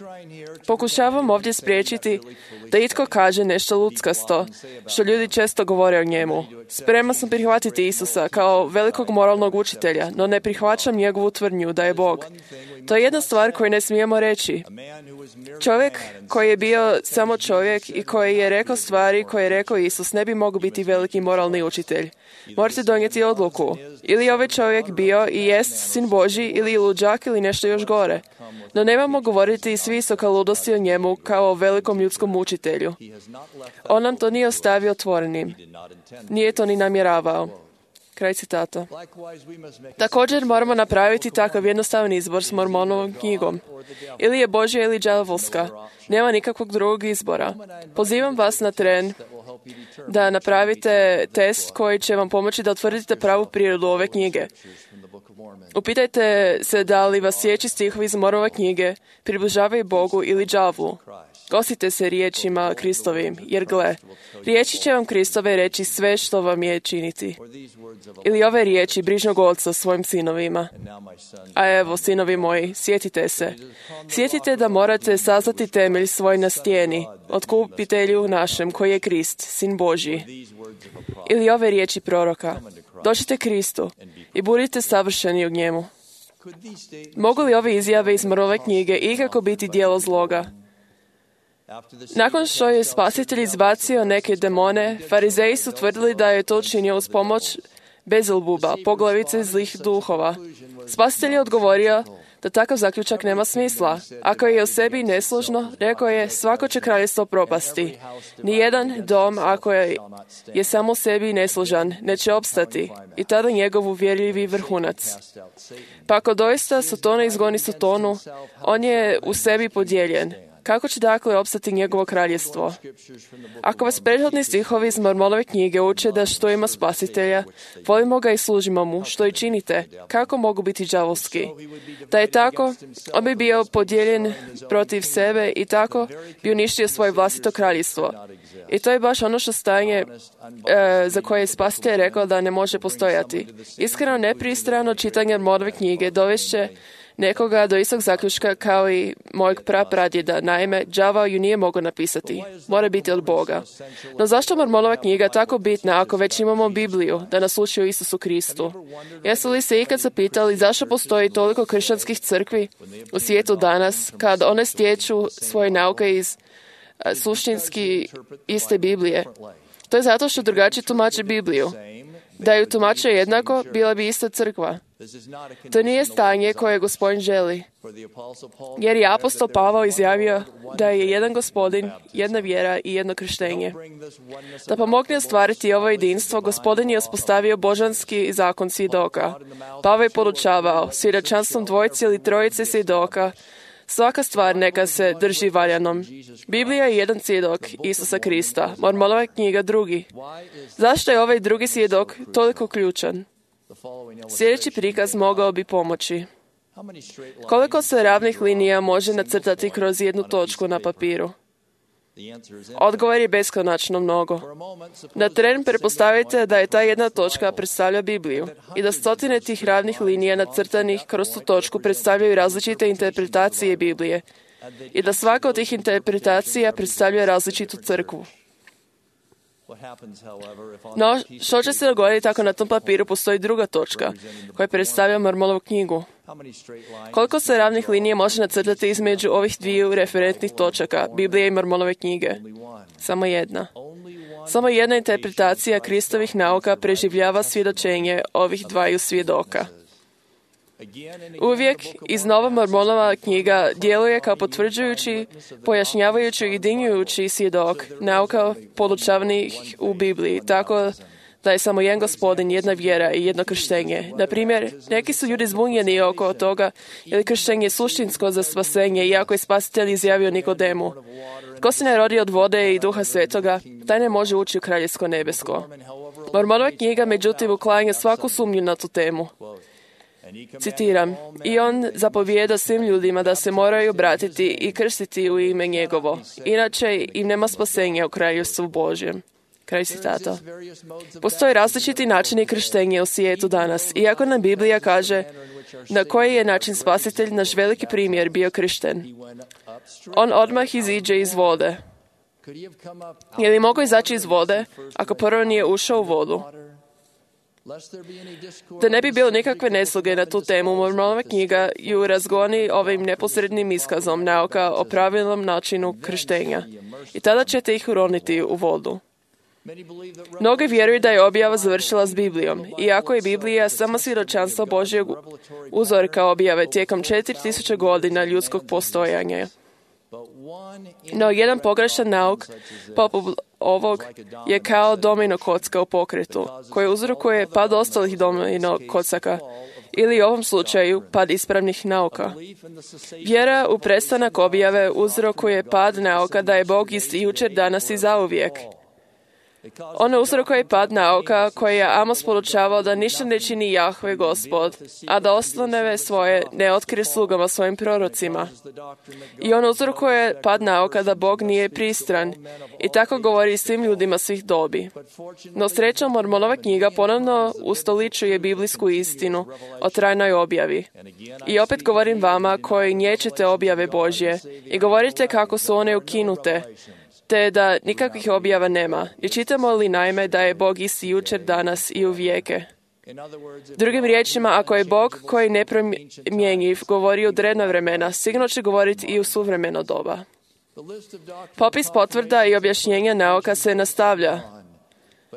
pokušavam ovdje spriječiti da itko kaže nešto ludskasto, što ljudi često govore o njemu. Spreman sam prihvatiti Isusa kao velikog moralnog učitelja, no ne prihvaćam njegovu tvrdnju da je Bog. To je jedna stvar koju ne smijemo reći. Čovjek koji je bio samo čovjek i koji je rekao stvari koje je rekao Isus ne bi mogao biti veliki moralni učitelj. Morate donijeti odluku. Ili je ovaj čovjek bio i jest sin Božji, ili luđak, ili nešto još gore. No nemamo govoriti s visoka ludosti o njemu kao o velikom ljudskom učitelju. On nam to nije ostavio otvorenim. Nije to ni namjeravao. Kraj citata. Također moramo napraviti takav jednostavan izbor s Mormonovom knjigom. Ili je Božja ili đavolska. Nema nikakvog drugog izbora. Pozivam vas na tren da napravite test koji će vam pomoći da utvrdite pravu prirodu ove knjige. Upitajte se da li vas slijedeći stihovi iz Mormonove knjige približavaju Bogu ili đavlu. Gosite se riječima Kristovim, jer gle, riječi će vam Kristove reći sve što vam je činiti. Ili ove riječi brižnog oca svojim sinovima. A evo, sinovi moji, sjetite se. Sjetite da morate saznati temelj svoj na stijeni, otkupitelju našem koji je Krist, sin Božji. Ili ove riječi proroka. Dođite Kristu i budite savršeni u njemu. Mogu li ove izjave iz Mormonove knjige ikako biti djelo zloga? Nakon što je spasitelj izbacio neke demone, farizeji su tvrdili da je to učinio uz pomoć Bezalbuba, poglavice zlih duhova. Spasitelj je odgovorio da takav zaključak nema smisla. Ako je o sebi nesložno, rekao je, svako će kraljevstvo propasti. Nijedan dom, ako je samo u sebi nesložan, neće opstati. I tada njegov uvjerljivi vrhunac. Pa ako doista Sotona izgoni Sotonu, on je u sebi podijeljen. Kako će dakle opstati njegovo kraljestvo? Ako vas prethodni stihovi iz Mormonove knjige uče da što ima spasitelja, volimo ga i služimo mu, što i činite, kako mogu biti đavolski? Da je tako, on bi bio podijeljen protiv sebe i tako bi uništio svoje vlastito kraljestvo. I to je baš ono što stanje za koje je spasitelj rekao da ne može postojati. Iskreno nepristrano čitanje Mormonove knjige dovešće nekoga do istog zaključka kao i mojeg prapradjeda. Naime, đavao ju nije mogao napisati. Mora biti od Boga. No zašto Mormonova knjiga tako bitna ako već imamo Bibliju da nas uči o Isusu Kristu? Jesu li se ikad zapitali zašto postoji toliko kršćanskih crkvi u svijetu danas kad one stječu svoje nauke iz suštinski iste Biblije? To je zato što drugačije tumače Bibliju. Da ju tumače jednako, bila bi ista crkva. To nije stanje koje Gospodin želi. Jer je apostol Pavao izjavio da je jedan Gospodin, jedna vjera i jedno krštenje. Da pomogne ostvariti ovo jedinstvo, Gospodin je uspostavio božanski zakon svjedoka. Pavao je podučavao svjedočanstvom dvojice ili trojice svjedoka. Svaka stvar neka se drži valjanom. Biblija je jedan svjedok Isusa Krista, Mormonova knjiga drugi. Zašto je ovaj drugi svjedok toliko ključan? Sljedeći prikaz mogao bi pomoći. Koliko se ravnih linija može nacrtati kroz jednu točku na papiru? Odgovor je beskonačno mnogo. Na tren pretpostavite da je ta jedna točka predstavlja Bibliju i da stotine tih ravnih linija nacrtanih kroz tu točku predstavljaju različite interpretacije Biblije i da svaka od tih interpretacija predstavlja različitu crkvu. No, što će se dogoditi ako na tom papiru postoji druga točka koja predstavlja Mormonovu knjigu? Koliko se ravnih linija može nacrtati između ovih dviju referentnih točaka, Biblije i Mormonove knjige? Samo jedna. Samo jedna interpretacija Kristovih nauka preživljava svjedočenje ovih dvaju svjedoka. Uvijek iznova Mormonova knjiga djeluje kao potvrđujući, pojašnjavajući i ujedinjujući svjedok nauka podučavanih u Bibliji, tako da je samo jedan Gospodin, jedna vjera i jedno krštenje. Na primjer, neki su ljudi zbunjeni oko toga je li krštenje suštinsko za spasenje, iako je Spasitelj izjavio Nikodemu. Tko se ne rodi od vode i Duha Svetoga, taj ne može ući u Kraljevsko nebesko. Mormonova knjiga, međutim, uklanja svaku sumnju na tu temu. Citiram, i on zapovijeda svim ljudima da se moraju obratiti i krstiti u ime njegovo, inače im nema spasenja u Kraljevstvu Božjem. Kraj citata. Postoje različiti načini krštenja u svijetu danas, iako nam Biblija kaže na koji je način Spasitelj, naš veliki primjer, bio kršten. On odmah iziđe iz vode. Je li mogao izaći iz vode ako prvo nije ušao u vodu? Da ne bi bilo nikakve nesloge na tu temu, Mormonova knjiga ju razgoni ovim neposrednim iskazom nauka o pravilnom načinu krštenja. I tada ćete ih uroniti u vodu. Mnogi vjeruju da je objava završila s Biblijom, iako je Biblija samo svjedočanstvo Božjeg uzorka objave tijekom 4000 godina ljudskog postojanja. No, jedan pogrešan nauk, poput ovog, je kao domino kocka u pokretu, koji uzrokuje pad ostalih domino kocaka, ili u ovom slučaju pad ispravnih nauka. Vjera u prestanak objave uzrokuje pad nauka da je Bog isti jučer, danas i zauvijek. Ono uzrokuje pad nauka koje je Amos podučavao da ništa ne čini Jahve Gospod, a da osnovne svoje ne otkrije slugama svojim prorocima. I ono uzrokuje pad nauka da Bog nije pristran i tako govori svim ljudima svih dobi. No srećom, Mormonova knjiga ponovno ustoličuje biblijsku istinu o trajnoj objavi. I opet govorim vama koji nječete objave Božje i govorite kako su one ukinute, te da nikakvih objava nema. I čitamo li naime da je Bog isti jučer, danas i u vijeke? Drugim riječima, ako je Bog koji je nepromjenjiv govorio u drevna vremena, sigurno će govoriti i u suvremeno doba. Popis potvrda i objašnjenja nauka se nastavlja.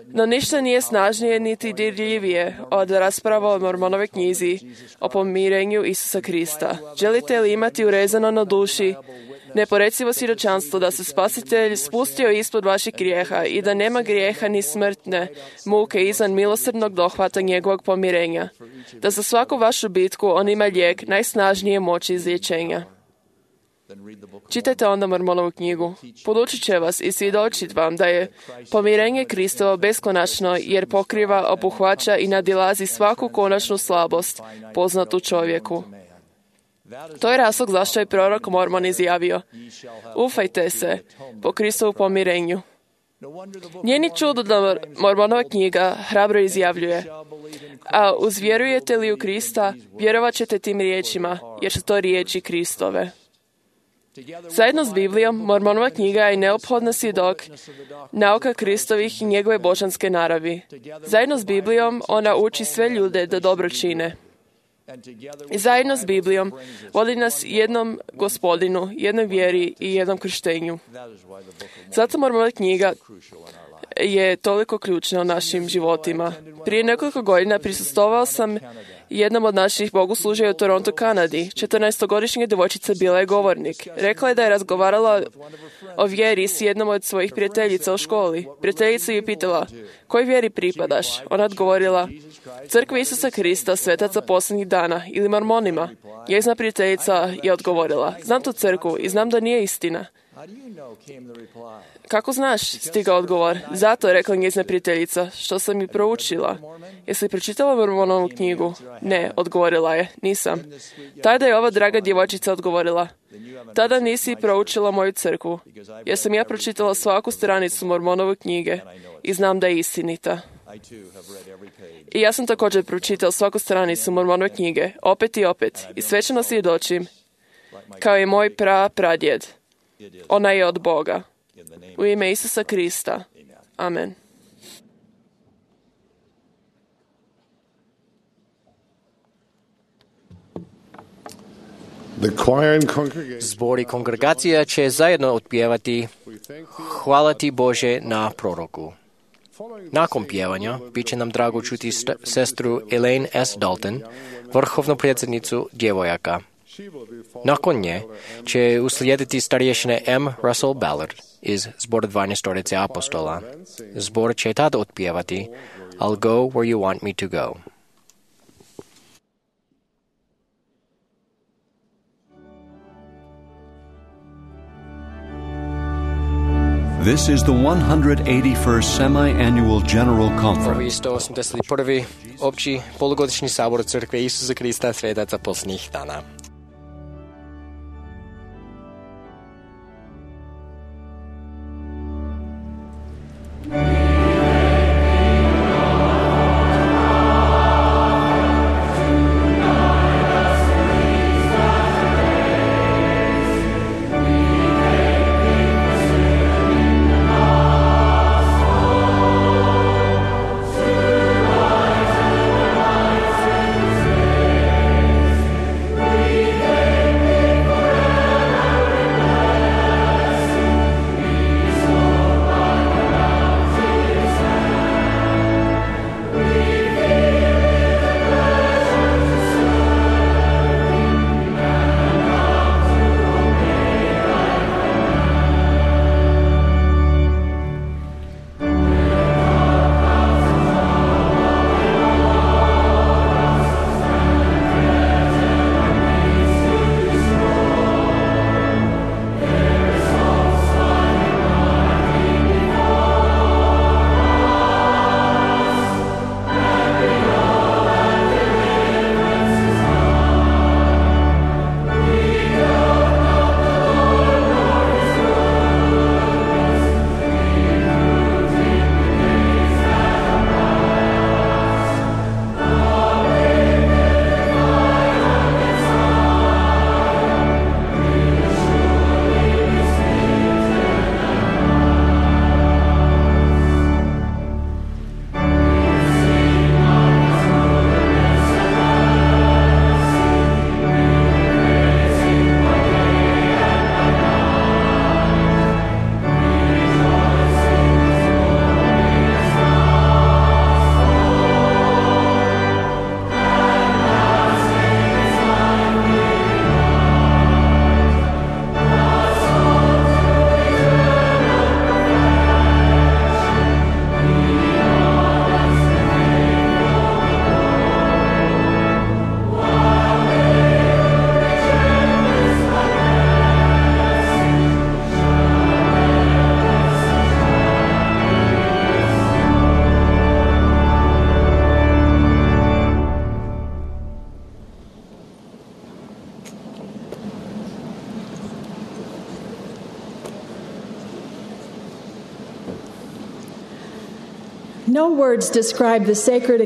No ništa nije snažnije niti dirljivije od rasprava o Mormonove knjizi o pomirenju Isusa Krista. Želite li imati urezano na duši neporecivo svjedočanstvo da se Spasitelj spustio ispod vaših grijeha i da nema grijeha ni smrtne muke izvan milosrdnog dohvata njegovog pomirenja, da za svaku vašu bitku on ima lijek najsnažnije moći izlječenja. Čitajte onda Mormonovu knjigu. Podučit će vas i svjedočit vam da je pomirenje Kristovo beskonačno jer pokriva, obuhvaća i nadilazi svaku konačnu slabost poznatu čovjeku. To je razlog zašto je prorok Mormon izjavio: ufajte se po Kristovu pomirenju. Nije ni čudo da Mormonova knjiga hrabro izjavljuje: A uzvjerujete li u Krista, vjerovat ćete tim riječima, jer su to riječi Kristove. Zajedno s Biblijom, Mormonova knjiga je neophodna svjedok nauka Kristovih i njegove božanske naravi. Zajedno s Biblijom, ona uči sve ljude da dobro čine. I zajedno s Biblijom vodi nas jednom Gospodinu, jednoj vjeri i jednom krštenju. Zato Mormonova knjiga je toliko ključna u našim životima. Prije nekoliko godina prisustvovao sam jednom od naših bogoslužja u Toronto, Kanadi. 14-godišnja djevojčica bila je govornik. Rekla je da je razgovarala o vjeri s jednom od svojih prijateljica u školi. Prijateljica je pitala, kojoj vjeri pripadaš? Ona odgovorila, Crkvi Isusa Krista, svetaca posljednjih dana ili Mormonima. Njezina prijateljica je odgovorila, znam tu crkvu i znam da nije istina. Kako znaš, stigao odgovor. Zato, rekla njezina prijateljica, što sam i proučila. Jesi li pročitala Mormonovu knjigu? Ne, odgovorila je, nisam. Tada je ova draga djevojčica odgovorila, tada nisi proučila moju crkvu, jer sam ja pročitala svaku stranicu Mormonove knjige i znam da je istinita. I ja sam također pročitala svaku stranicu Mormonove knjige, opet i opet, i svečano svjedočim, kao i moj pradjed. Ona je od Boga. U ime Isusa Krista. Amen. Zbor i kongregacija će zajedno otpjevati Hvala ti Bože na proroku. Nakon pjevanja bit će nam drago čuti sestru Elaine S. Dalton, vrhovnu predsjednicu djevojaka. Nakon nje će uslijediti starješine M. Russell Ballard iz zbora 12 apostola. Zbor će tada otpjevati I'll go where you want me to go. This is the 181st Semi-Annual General Conference. 181. opći polugodišnji sabor Crkve Isusa Krista svetaca posljednjih dana. We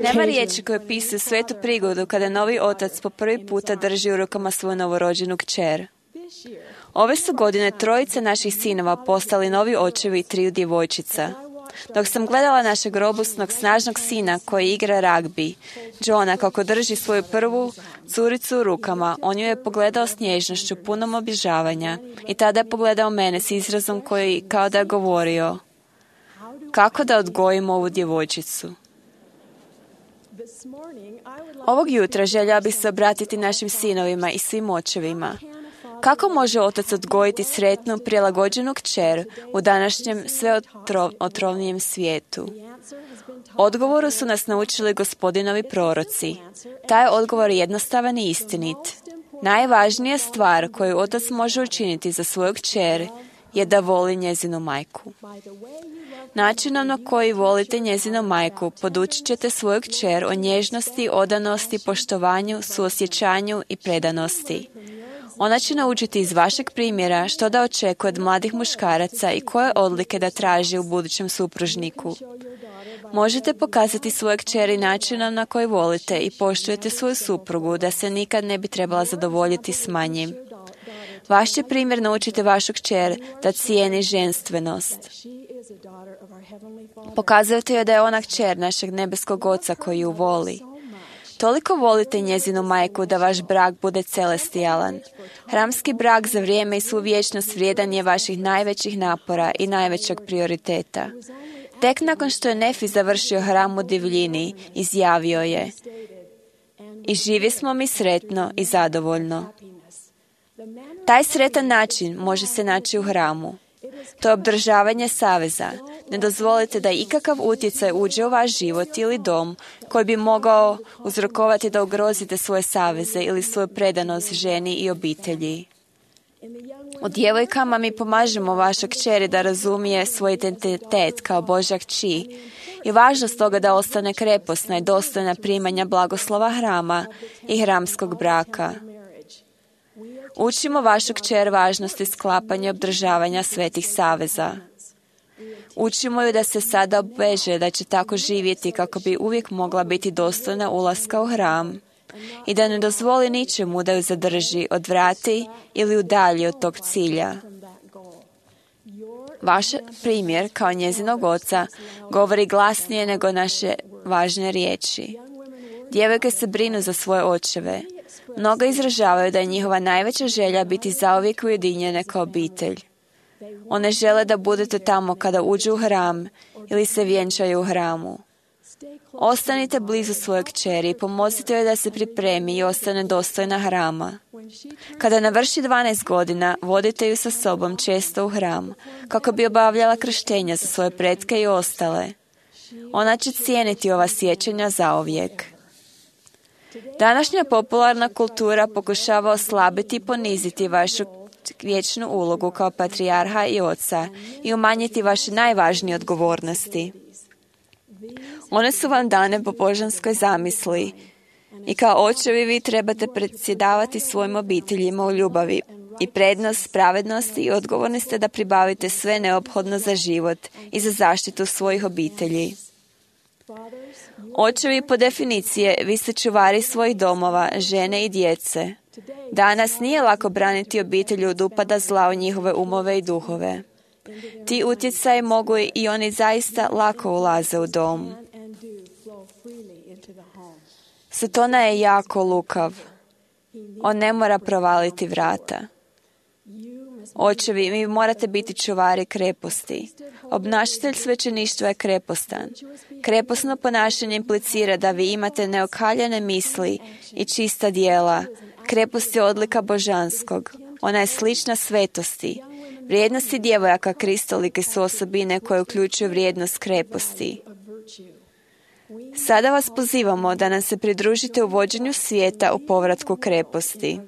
Nema riječi koje opisuju svetu prigodu kada novi otac po prvi puta drži u rukama svoju novorođenu kćer. Ove su godine 3 naših sinova postali novi očevi i 3 djevojčica. Dok sam gledala našeg robusnog, snažnog sina koji igra ragbi, Johna, kako drži svoju prvu curicu u rukama, on ju je pogledao s nježnošću, punom obožavanja, i tada je pogledao mene s izrazom koji kao da je govorio: kako da odgojim ovu djevojčicu? Ovog jutra željela bih se obratiti našim sinovima i svim očevima. Kako može otac odgojiti sretnu, prilagođenu kćer u današnjem sve otrovnijem svijetu? Odgovoru su nas naučili Gospodinovi proroci. Taj odgovor je jednostavan i istinit. Najvažnija stvar koju otac može učiniti za svoju kćer je da voli njezinu majku. Načinom na koji volite njezinu majku podučit ćete svoju kćer o nježnosti, odanosti, poštovanju, suosjećanju i predanosti. Ona će naučiti iz vašeg primjera što da očekuje od mladih muškaraca i koje odlike da traži u budućem supružniku. Možete pokazati svoje kćeri načinom na koji volite i poštujete svoju suprugu da se nikad ne bi trebala zadovoljiti s manjim. Vaš će primjer naučiti vašu kćer da cijeni ženstvenost. Pokazujete joj da je ona kćer našeg nebeskog Oca koji ju voli. Toliko volite njezinu majku da vaš brak bude celestijalan. Hramski brak za vrijeme i svu vječnost vrijedan je vaših najvećih napora i najvećeg prioriteta. Tek nakon što je Nefi završio hram u divljini, izjavio je: i živi smo mi sretno i zadovoljno. Taj sretan način može se naći u hramu. To je obdržavanje saveza. Ne dozvolite da ikakav utjecaj uđe u vaš život ili dom koji bi mogao uzrokovati da ugrozite svoje saveze ili svoju predanost ženi i obitelji. U djevojkama mi pomažemo vašoj kćeri da razumije svoj identitet kao Božja kći i važnost toga da ostane krepostna i dostojna primanja blagoslova hrama i hramskog braka. Učimo vašu kćer važnosti sklapanja i obdržavanja svetih saveza. Učimo ju da se sada obveže da će tako živjeti kako bi uvijek mogla biti dostojna ulaska u hram i da ne dozvoli ničemu da ju zadrži, odvrati ili udalji od tog cilja. Vaš primjer kao njezinog oca govori glasnije nego naše važne riječi. Djevojke se brinu za svoje očeve. Mnogo izražavaju da je njihova najveća želja biti zauvijek ujedinjene kao obitelj. One žele da budete tamo kada uđu u hram ili se vjenčaju u hramu. Ostanite blizu svoje kćeri i pomozite joj da se pripremi i ostane dostojna hrama. Kada navrši 12 godina, vodite ju sa sobom često u hram, kako bi obavljala krštenja za svoje pretke i ostale. Ona će cijeniti ova sjećanja zauvijek. Današnja popularna kultura pokušava oslabiti i poniziti vašu vječnu ulogu kao patrijarha i oca i umanjiti vaše najvažnije odgovornosti. One su vam dane po božanskoj zamisli i kao očevi vi trebate predsjedavati svojim obiteljima u ljubavi i prednost, pravednosti i odgovorni ste da pribavite sve neophodno za život i za zaštitu svojih obitelji. Očevi po definiciji, vi ste čuvari svojih domova, žene i djece. Danas nije lako braniti obitelji od upada zla u njihove umove i duhove. Ti utjecaji mogu i oni zaista lako ulaze u dom. Satana je jako lukav. On ne mora provaliti vrata. Očevi, vi morate biti čuvari kreposti. Obnašatelj svećeništva je krepostan. Kreposno ponašanje implicira da vi imate neokaljene misli i čista djela. Krepost je odlika božanskog. Ona je slična svetosti. Vrijednosti djevojaka kristolike su osobine koje uključuju vrijednost kreposti. Sada vas pozivamo da nam se pridružite u vođenju svijeta u povratku kreposti.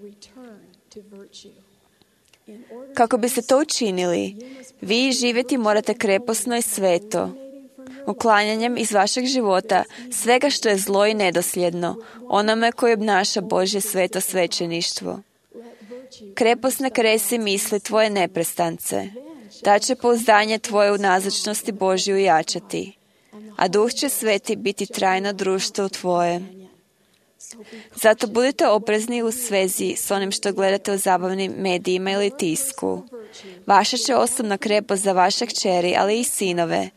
Kako biste to učinili, vi živjeti morate kreposno i sveto, uklanjanjem iz vašeg života svega što je zlo i nedosljedno, onome koji obnaša Božje sveto svećeništvo. Krepost ne kresi misli tvoje neprestance, da će pouzdanje tvoje u nazočnosti Božju jačati. a Duh će Sveti biti trajno društvo tvoje. Zato budite oprezni u svezi s onim što gledate u zabavnim medijima ili tisku. Vaša će osobna krepost za vaše kćeri, ali i sinove,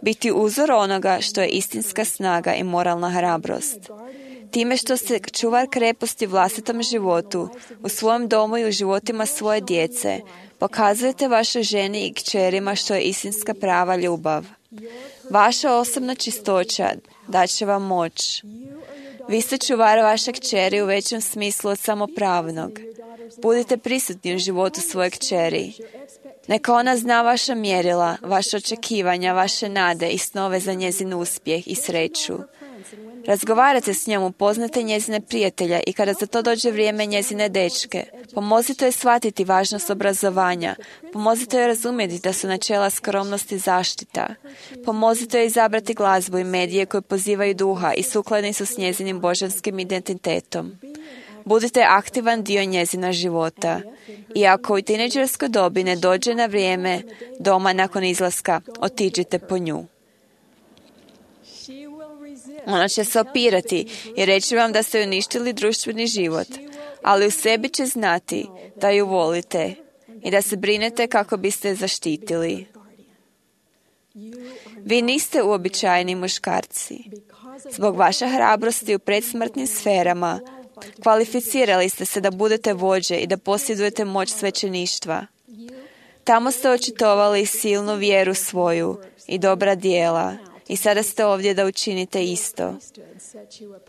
biti uzor onoga što je istinska snaga i moralna hrabrost. Time što se čuvar kreposti u vlastitom životu, u svojem domu i u životima svoje djece, pokazujete vašoj ženi i kćerima što je istinska prava ljubav. Vaša osobna čistoća daće vam moć. Vi ste čuvar vaše kćeri u većem smislu od samopravnog. Budite prisutni u životu svoje kćeri. Neka ona zna vaša mjerila, vaše očekivanja, vaše nade i snove za njezin uspjeh i sreću. Razgovarajte s njom, upoznate njezine prijatelja i kada za to dođe vrijeme njezine dečke. Pomozite joj shvatiti važnost obrazovanja. Pomozite joj razumjeti da su načela skromnosti zaštita. Pomozite joj izabrati glazbu i medije koje pozivaju duha i sukladni su s njezinim božanskim identitetom. Budite aktivan dio njezina života. I ako u tinejdžerskoj dobi ne dođe na vrijeme doma nakon izlaska, otiđite po nju. Ona će se opirati i reći vam da ste uništili društveni život, ali u sebi će znati da ju volite i da se brinete kako biste je zaštitili. Vi niste uobičajeni muškarci. Zbog vaše hrabrosti u predsmrtnim sferama kvalificirali ste se da budete vođe i da posjedujete moć svećeništva. Tamo ste očitovali silnu vjeru svoju i dobra djela. I sada ste ovdje da učinite isto.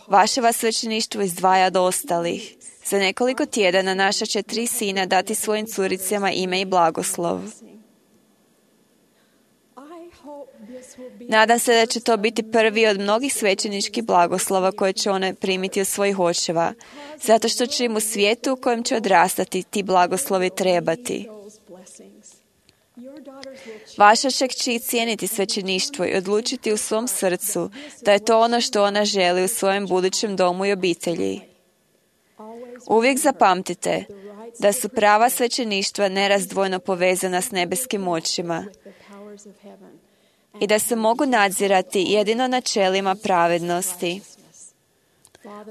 Vaše vas svećeništvo izdvaja od ostalih. Za nekoliko tjedana naša će 3 sina dati svojim curicama ime i blagoslov. Nadam se da će to biti prvi od mnogih svećeničkih blagoslova koje će one primiti od svojih očeva, zato što će im u svijetu u kojem će odrastati ti blagoslovi trebati. Vaša će kći cijeniti svećeništvo i odlučiti u svom srcu da je to ono što ona želi u svojem budućem domu i obitelji. Uvijek zapamtite da su prava svećeništva nerazdvojno povezana s nebeskim moćima i da se mogu nadzirati jedino načelima pravednosti.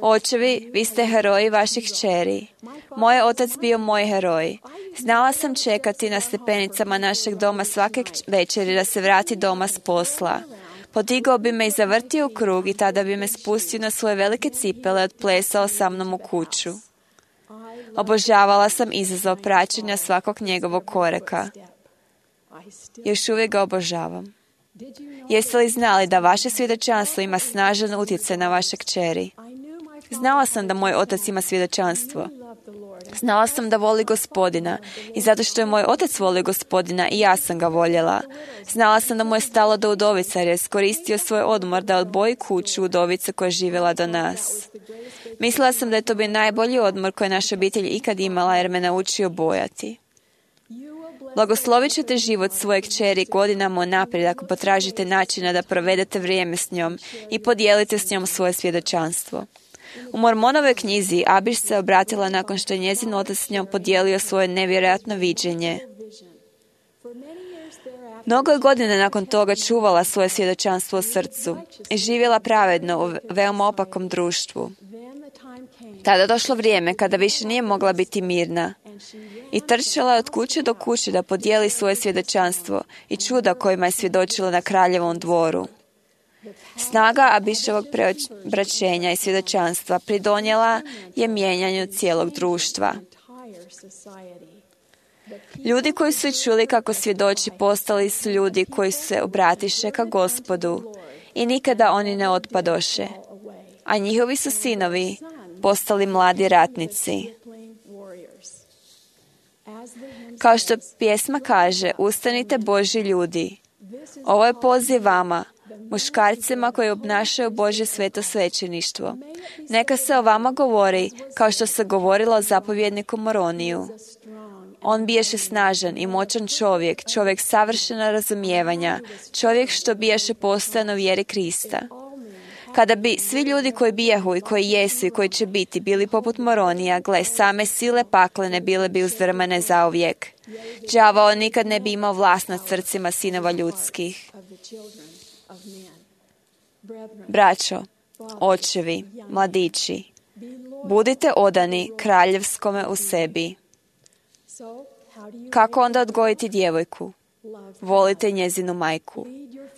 Očevi, vi ste heroji vaših kćeri. Moj otac bio moj heroj. Znala sam čekati na stepenicama našeg doma svake večeri da se vrati doma s posla. Podigao bi me i zavrtio u krug i tada bi me spustio na svoje velike cipele i odplesao sa mnom u kuću. Obožavala sam izazov praćenja svakog njegovog koraka. Još uvijek ga obožavam. Jeste li znali da vaše svjedočanstvo ima snažan utjecaj na vaše kćeri? Znala sam da moj otac ima svjedočanstvo. Znala sam da voli Gospodina i zato što je moj otac volio Gospodina i ja sam ga voljela. Znala sam da mu je stalo do udovica jer je iskoristio svoj odmor da odboji kuću udovice koja je živjela do nas. Mislila sam da je to bio najbolji odmor koji je naša obitelj ikad imala jer me naučio bojati. Blagoslovit ćete život svoje kćeri godinama unaprijed ako potražite načina da provedete vrijeme s njom i podijelite s njom svoje svjedočanstvo. U Mormonovoj knjizi Abiš se obratila nakon što je njezin otac s njom podijelio svoje nevjerojatno viđenje. Mnogo je godina nakon toga čuvala svoje svjedočanstvo u srcu i živjela pravedno u veoma opakom društvu. Tada je došlo vrijeme kada više nije mogla biti mirna i trčala je od kuće do kuće da podijeli svoje svjedočanstvo i čuda kojima je svjedočila na kraljevom dvoru. Snaga Abiševog preobraćenja i svjedočanstva pridonijela je mijenjanju cijelog društva. Ljudi koji su čuli kako svjedoči postali su ljudi koji se obratiše ka Gospodu i nikada oni ne otpadoše, a njihovi su sinovi postali mladi ratnici. Kao što pjesma kaže, ustanite Božji ljudi. Ovo je poziv vama, muškarcima koji obnašaju Božje sveto svećeništvo. Neka se o vama govori kao što se govorilo o zapovjedniku Moroniju. On biješe snažan i moćan čovjek, čovjek savršena razumijevanja, čovjek što biješe postojano u vjeri Krista. Kada bi svi ljudi koji bijahu i koji jesu i koji će biti bili poput Moronija, gle, same sile paklene bile bi uzdrmane zauvijek. Đavao nikad ne bi imao vlast nad srcima sinova ljudskih. Braćo, očevi, mladići, budite odani kraljevskome u sebi. Kako onda odgojiti djevojku? Volite njezinu majku.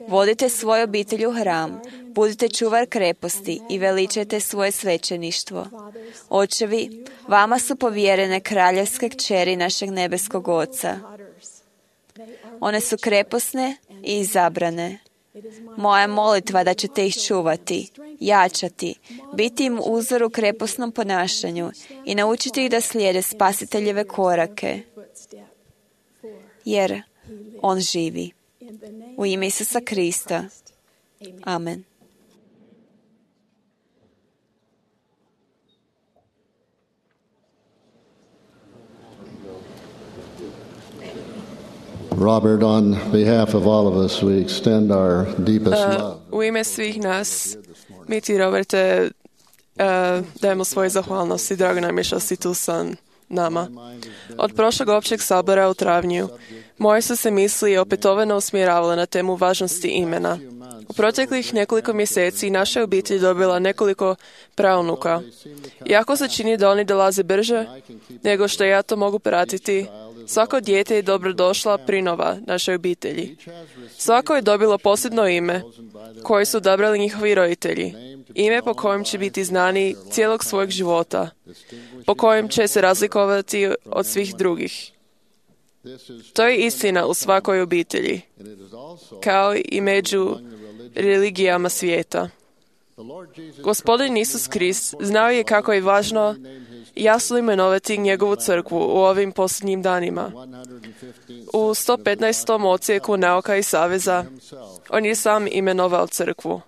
Vodite svoju obitelj u hram, budite čuvar kreposti i veličajte svoje svećeništvo. Očevi, vama su povjerene kraljevske kćeri našeg nebeskog Oca. One su kreposne i izabrane. Moja je molitva da ćete ih čuvati, jačati, biti im uzor u kreposnom ponašanju i naučiti ih da slijede Spasiteljeve korake, jer On živi. U ime Isusa Krista. Amen. Robert, on behalf of all of us, we extend our deepest love. U ime svih nas, mi ti, Roberte, dajemo svoje zahvalnosti. Drago nam je što si tu sa nama. Od prošlog općeg sabora u travnju, moje su se misli opetovano usmjeravale na temu važnosti imena. U proteklih nekoliko mjeseci naša obitelj dobila nekoliko praunuka. Iako se čini da oni dolaze brže nego što ja to mogu pratiti, svako dijete je dobrodošla prinova našoj obitelji. Svako je dobilo posebno ime koje su odabrali njihovi roditelji. Ime po kojem će biti znani cijelog svojeg života, po kojem će se razlikovati od svih drugih. To je istina u svakoj obitelji, kao i među religijama svijeta. Gospodin Isus Krist znao je kako je važno jasno imenovati njegovu crkvu u ovim posljednjim danima. U 115. odsjeku nauka i saveza on je sam imenovao crkvu,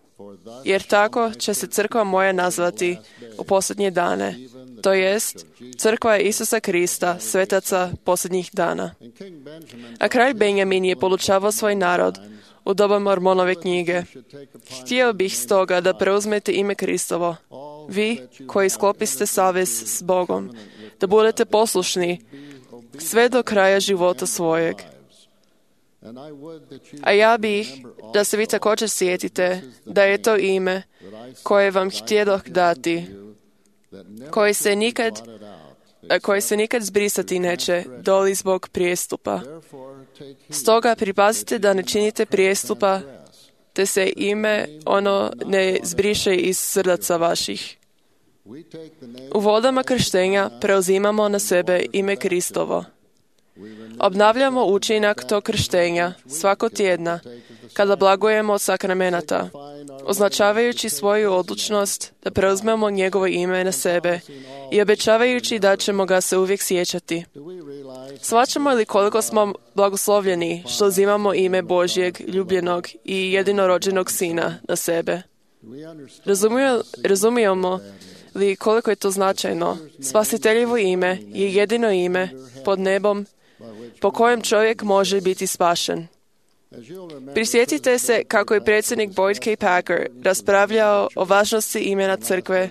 jer tako će se crkva moja nazvati u posljednje dane, to jest crkva Isusa Krista, svetaca posljednjih dana. A kralj Benjamin je podučavao svoj narod u doba Mormonove knjige. Htio bih stoga da preuzmete ime Kristovo, vi koji sklopiste savez s Bogom, da budete poslušni sve do kraja života svojeg. A ja bih da se vi također sjetite da je to ime koje vam htjedoh dati, koje se nikad zbrisati neće, doli zbog prijestupa. Stoga pripazite da ne činite prijestupa, te se ime ono ne zbriše iz srdaca vaših. U vodama krštenja preuzimamo na sebe ime Kristovo. Obnavljamo učinak tog krštenja svako tjedna kada blagujemo od sakramenata, označavajući svoju odlučnost da preuzmemo njegovo ime na sebe i obećavajući da ćemo ga se uvijek sjećati. Shvaćamo li koliko smo blagoslovljeni što uzimamo ime Božjeg, ljubljenog i jedinorođenog Sina na sebe? Razumijemo li koliko je to značajno? Spasiteljevo ime je jedino ime pod nebom po kojem čovjek može biti spašen. Prisjetite se kako je predsjednik Boyd K. Packer raspravljao o važnosti imena crkve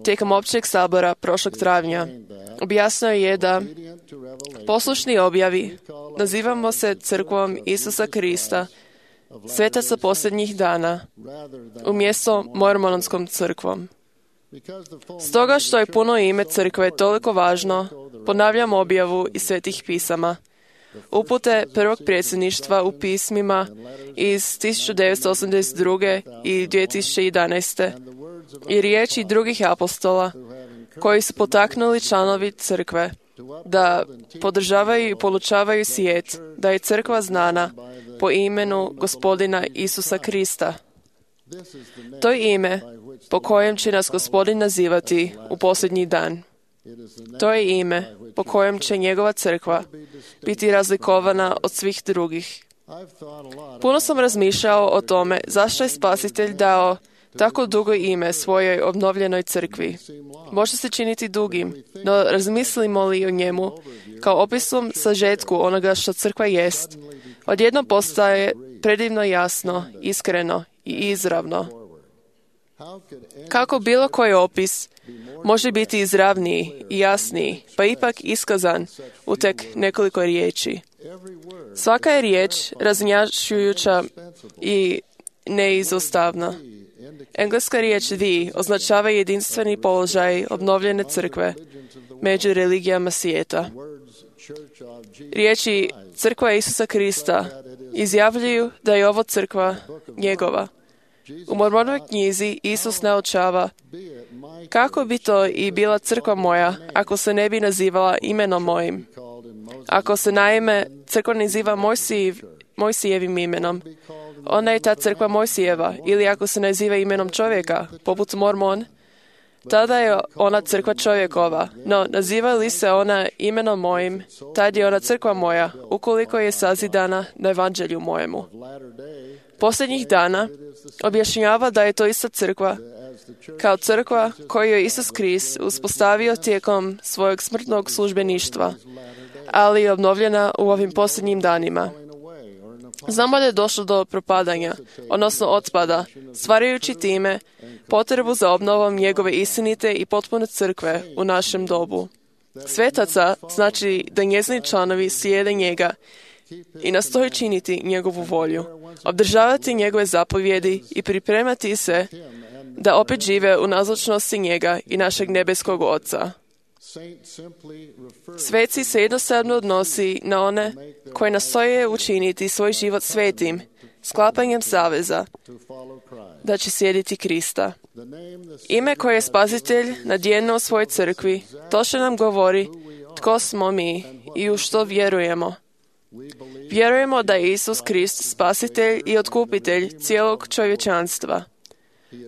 tijekom općeg sabora prošlog travnja. Objasnio je da poslušni objavi nazivamo se crkvom Isusa Krista, svetaca posljednjih dana, umjesto mormonskom crkvom. Stoga što je puno ime crkve toliko važno, ponavljam objavu iz svetih pisama. Upute prvog predsjedništva u pismima iz 1982. i 2011. i riječi drugih apostola koji su potaknuli članovi crkve da podržavaju i polučavaju svijet da je crkva znana po imenu Gospodina Isusa Krista. To je ime po kojem će nas Gospodin nazivati u posljednji dan. To je ime po kojem će njegova crkva biti razlikovana od svih drugih. Puno sam razmišljao o tome zašto je Spasitelj dao tako dugo ime svojoj obnovljenoj crkvi. Može se činiti dugim, no razmislimo li o njemu kao opisom sažetku onoga što crkva jest, odjednom postaje predivno jasno, iskreno i izravno. Kako bilo koji opis može biti izravniji i jasniji, pa ipak iskazan u tek nekoliko riječi. Svaka je riječ raznjačujuća i neizostavna. Engleska riječ the označava jedinstveni položaj obnovljene crkve među religijama svijeta. Riječi crkva Isusa Krista izjavljuju da je ovo crkva njegova. U Mormonovoj knjizi Isus naučava: kako bi to i bila crkva moja ako se ne bi nazivala imenom mojim? Ako se naime crkva naziva Mojsijevim imenom, ona je ta crkva Mojsijeva, ili ako se naziva imenom čovjeka, poput Mormon, tada je ona crkva čovjekova. No, naziva li se ona imenom mojim, tad je ona crkva moja, ukoliko je sazidana na evanđelju mojemu. Posljednjih dana objašnjava da je to ista crkva, kao crkva koju je Isus Krist uspostavio tijekom svojeg smrtnog službeništva, ali je obnovljena u ovim posljednjim danima. Znamo da je došlo do propadanja, odnosno otpada, stvarajući time potrebu za obnovom njegove istinite i potpune crkve u našem dobu. Svetaca znači da njezini članovi slijede njega i nastoje činiti njegovu volju, obdržavati njegove zapovjedi i pripremati se da opet žive u nazočnosti njega i našeg nebeskog Oca. Sveci se jednostavno odnosi na one koji nastoje učiniti svoj život svetim, sklapanjem saveza, da će slijediti Krista. Ime koje je Spasitelj nadjenuo u svojoj crkvi, točno nam govori tko smo mi i u što vjerujemo. Vjerujemo da je Isus Krist Spasitelj i Otkupitelj cijelog čovječanstva.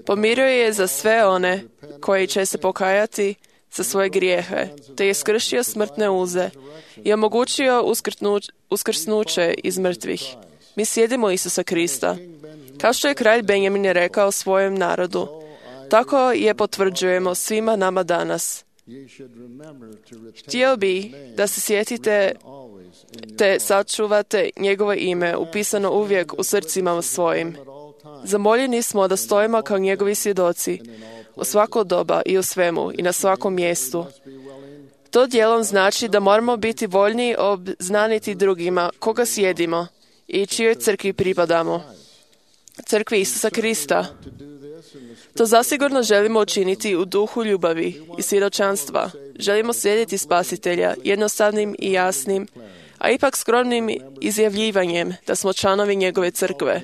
Pomirio je za sve one koji će se pokajati za svoje grijehe, te je skršio smrtne uze i omogućio uskrsnuće iz mrtvih. Mi slijedimo Isusa Krista. Kao što je kralj Benjamin rekao svojem narodu, tako je potvrđujemo svima nama danas. Htio bi da se sjetite te sačuvate njegovo ime upisano uvijek u srcima svojim. Zamoljeni smo da stojimo kao njegovi svjedoci u svako doba i u svemu i na svakom mjestu. To dijelom znači da moramo biti voljni obznaniti drugima koga slijedimo i čijoj crkvi pripadamo. Crkvi Isusa Krista. To zasigurno želimo učiniti u duhu ljubavi i svjedočanstva. Želimo slijediti Spasitelja jednostavnim i jasnim, a ipak skromnim izjavljivanjem da smo članovi njegove crkve.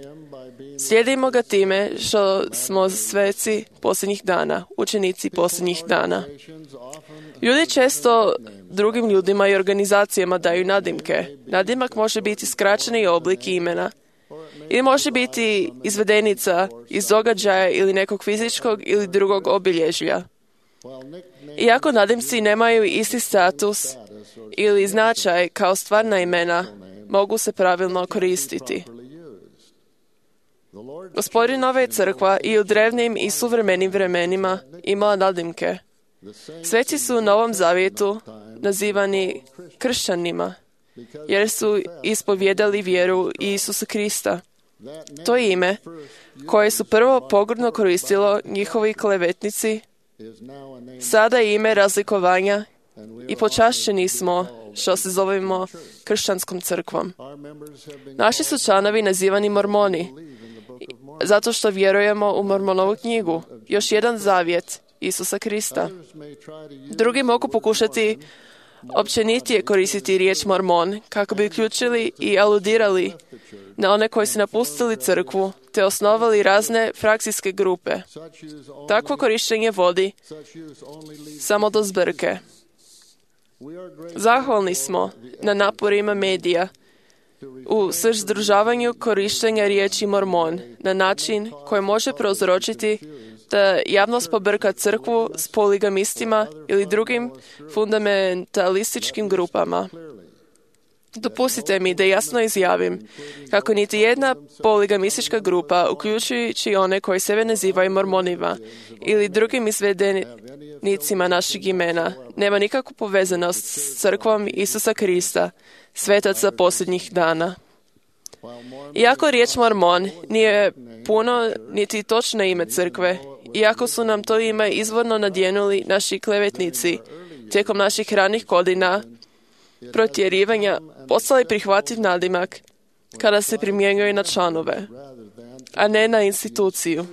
Slijedimo ga time što smo sveci posljednjih dana, učenici posljednjih dana. Ljudi često drugim ljudima i organizacijama daju nadimke. Nadimak može biti skraćeni oblik imena ili može biti izvedenica iz događaja ili nekog fizičkog ili drugog obilježja. Iako nadimci nemaju isti status ili značaj kao stvarna imena, mogu se pravilno koristiti. Gospodinova je crkva i u drevnim i suvremenim vremenima imala nadimke. Sveci su u Novom Zavjetu nazivani kršćanima, jer su ispovjedali vjeru Isusa Krista. To je ime koje su prvo pogrdno koristilo njihovi klevetnici, sada je ime razlikovanja i počašćeni smo što se zovemo kršćanskom crkvom. Naši su članovi nazivani Mormoni, zato što vjerujemo u Mormonovu knjigu, još jedan zavjet Isusa Krista. Drugi mogu pokušati općenitije koristiti riječ Mormon kako bi uključili i aludirali na one koji su napustili crkvu te osnovali razne frakcijske grupe. Takvo korištenje vodi samo do zbrke. Zahvalni smo na naporima medija u suzdržavanju korištenja riječi Mormon na način koji može prouzročiti da javnost pobrka crkvu s poligamistima ili drugim fundamentalističkim grupama. Dopustite mi da jasno izjavim kako niti jedna poligamistička grupa, uključujući one koji sebe nazivaju Mormonima ili drugim izvedenicima naših imena, nema nikakvu povezanost s crkvom Isusa Krista, svetaca posljednjih dana. Iako riječ Mormon nije puno niti točno ime crkve, iako su nam to ime izvorno nadjenuli naši klevetnici tijekom naših ranih godina protjerivanja, postali prihvatljiv nadimak kada se primjenjuje na članove, a ne na instituciju.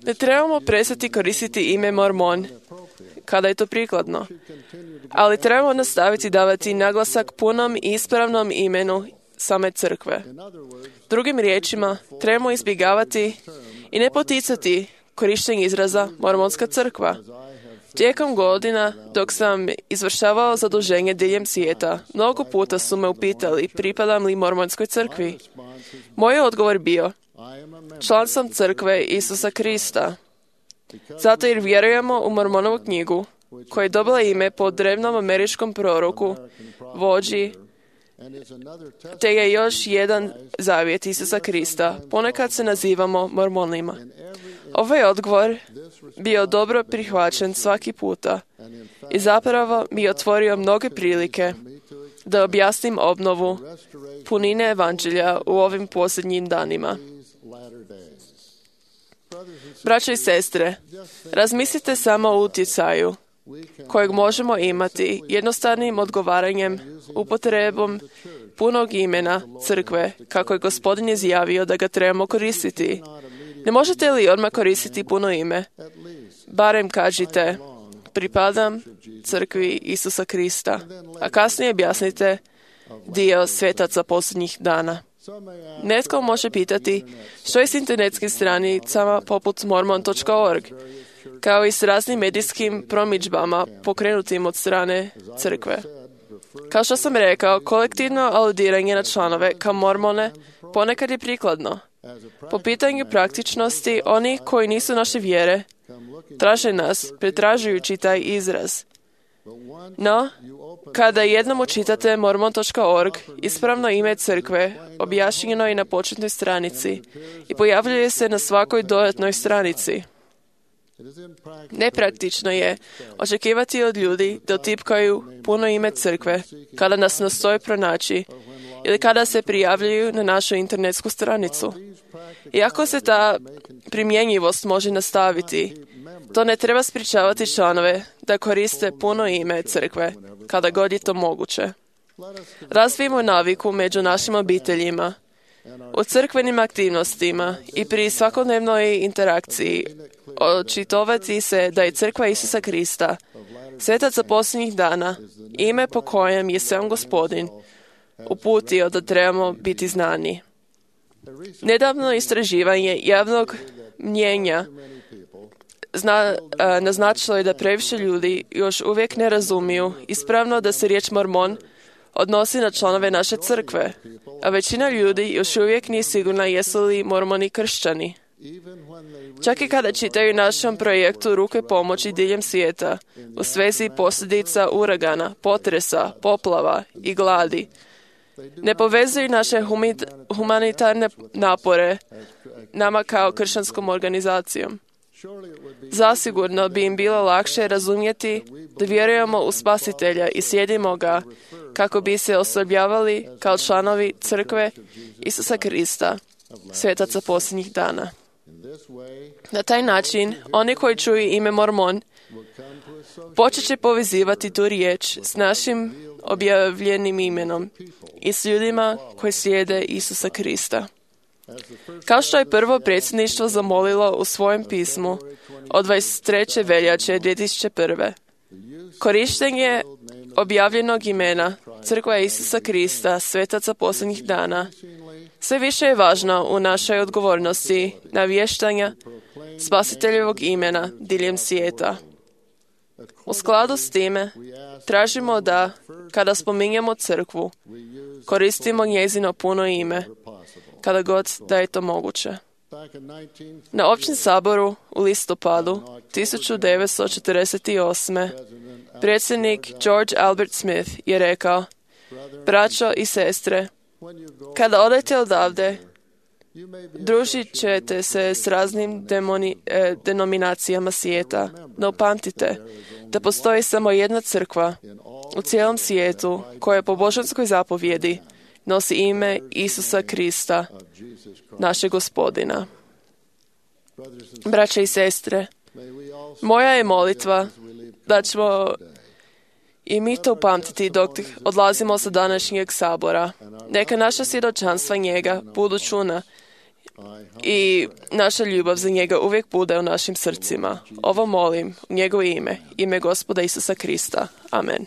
Ne trebamo prestati koristiti ime Mormon kada je to prikladno, ali trebamo nastaviti davati naglasak punom i ispravnom imenu same crkve. Drugim riječima, trebamo izbjegavati i ne poticati korištenje izraza Mormonska crkva. Tijekom godina, dok sam izvršavao zaduženje diljem svijeta, mnogo puta su me upitali pripadam li Mormonskoj crkvi. Moj odgovor bio, član sam crkve Isusa Krista. Zato jer vjerujemo u Mormonovu knjigu, koja je dobila ime po drevnom američkom proroku, vođi, te je još jedan zavjet Isusa Krista. Ponekad se nazivamo Mormonima. Ovaj odgovor bio dobro prihvaćen svaki puta i zapravo mi je otvorio mnoge prilike da objasnim obnovu punine evanđelja u ovim posljednjim danima. Braćo i sestre, razmislite samo o utjecaju kojeg možemo imati jednostavnim odgovaranjem upotrebom punog imena crkve, kako je Gospodin izjavio da ga trebamo koristiti. Ne možete li odmah koristiti puno ime? Barem kažite, pripadam crkvi Isusa Krista, a kasnije objasnite dio svetaca posljednjih dana. Netko može pitati što je s internetskim stranicama poput mormon.org, kao i s raznim medijskim promidžbama pokrenutim od strane crkve. Kao što sam rekao, kolektivno aludiranje na članove kao mormone ponekad je prikladno. Po pitanju praktičnosti, oni koji nisu naše vjere traže nas, pretražujući taj izraz. No, kada jednom učitate mormon.org, ispravno ime crkve objašnjeno je na početnoj stranici i pojavljuje se na svakoj dodatnoj stranici. Nepraktično je očekivati od ljudi da utipkaju puno ime crkve kada nas nastoje pronaći ili kada se prijavljuju na našu internetsku stranicu. Iako se ta primjenjivost može nastaviti, to ne treba sprječavati članove da koriste puno ime crkve kada god je to moguće. Razvijemo naviku među našim obiteljima, u crkvenim aktivnostima i pri svakodnevnoj interakciji očitovati se da je crkva Isusa Krista, svetac za posljednjih dana, ime po kojem je sam Gospodin uputio da trebamo biti znani. Nedavno istraživanje javnog mnjenja naznačilo je da previše ljudi još uvijek ne razumiju ispravno da se riječ Mormon odnosi na članove naše crkve, a većina ljudi još uvijek nije sigurna jesu li Mormoni kršćani. Čak i kada čitaju našem projektu Ruke pomoći diljem svijeta u svezi posljedica uragana, potresa, poplava i gladi, ne povezuju naše humanitarne napore nama kao kršćanskom organizacijom. Zasigurno bi im bilo lakše razumjeti da vjerujemo u Spasitelja i slijedimo ga kako bi se osobljavali kao članovi crkve Isusa Krista, svetaca posljednjih dana. Na taj način, oni koji čuju ime Mormon počet će povezivati tu riječ s našim objavljenim imenom i s ljudima koji slijede Isusa Krista. Kao što je prvo predsjedništvo zamolilo u svojem pismu od 23. veljače 2001. Korištenje objavljenog imena Crkva Isusa Krista, svetaca posljednjih dana, sve više je važno u našoj odgovornosti navještanja Spasiteljevog imena diljem svijeta. U skladu s time, tražimo da, kada spominjemo crkvu, koristimo njezino puno ime, kada god da je to moguće. Na općem saboru u listopadu 1948. predsjednik George Albert Smith je rekao: braćo i sestre, kada odete odavde, družit ćete se s raznim denominacijama svijeta, no upamtite da postoji samo jedna crkva u cijelom svijetu koja po božanskoj zapovjedi nosi ime Isusa Krista, našeg Gospodina. Braće i sestre, moja je molitva da ćemo i mi to upamtiti dok odlazimo sa današnjeg sabora. Neka naša svjedočanstva njega budu čuna i naša ljubav za njega uvijek bude u našim srcima. Ovo molim u njegovo ime, ime Gospoda Isusa Krista. Amen.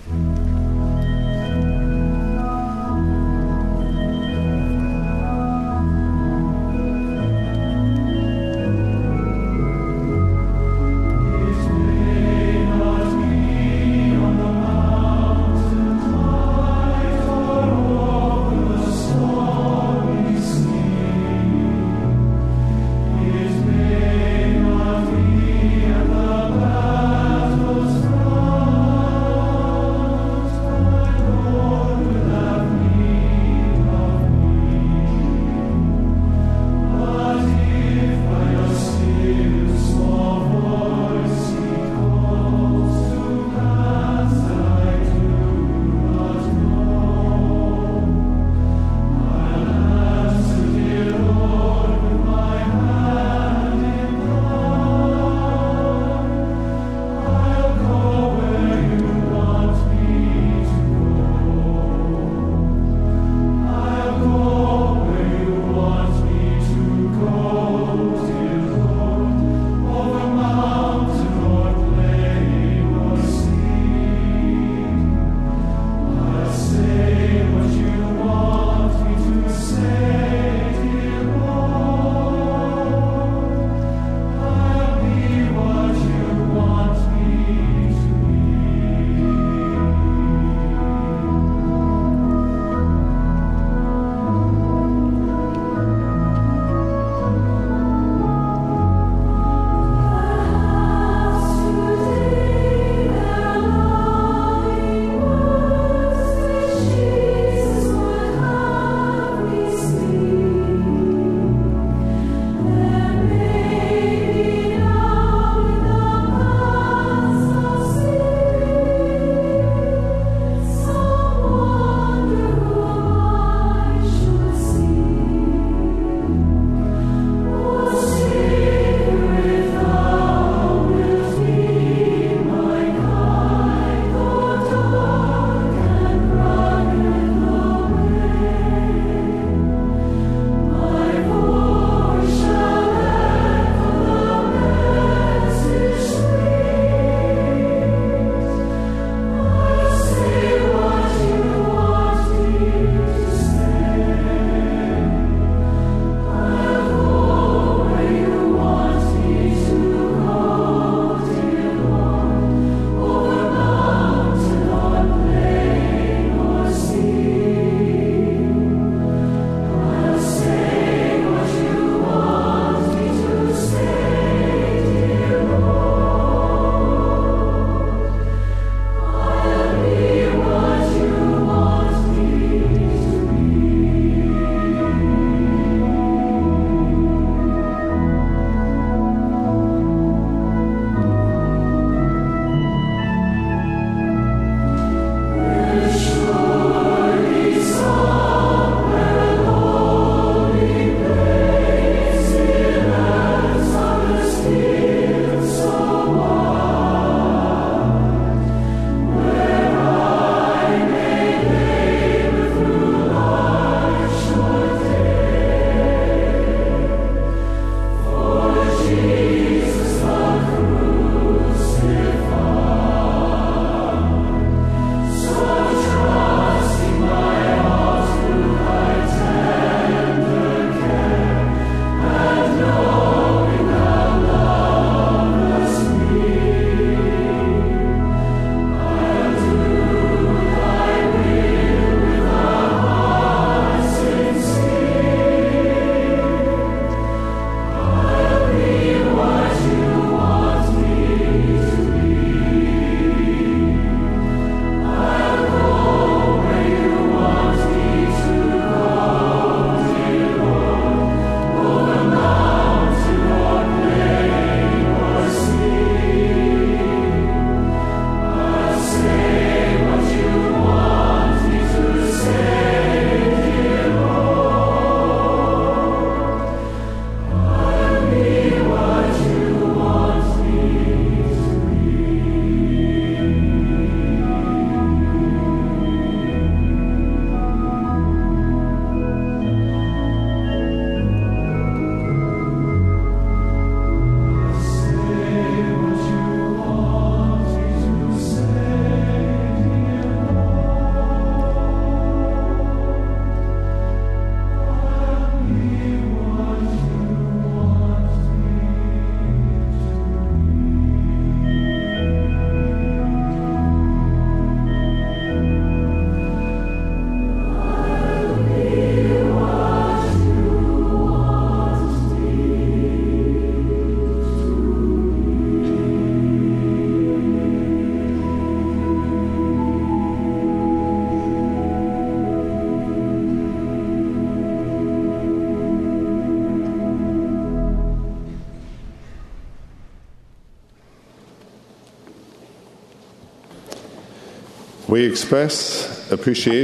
For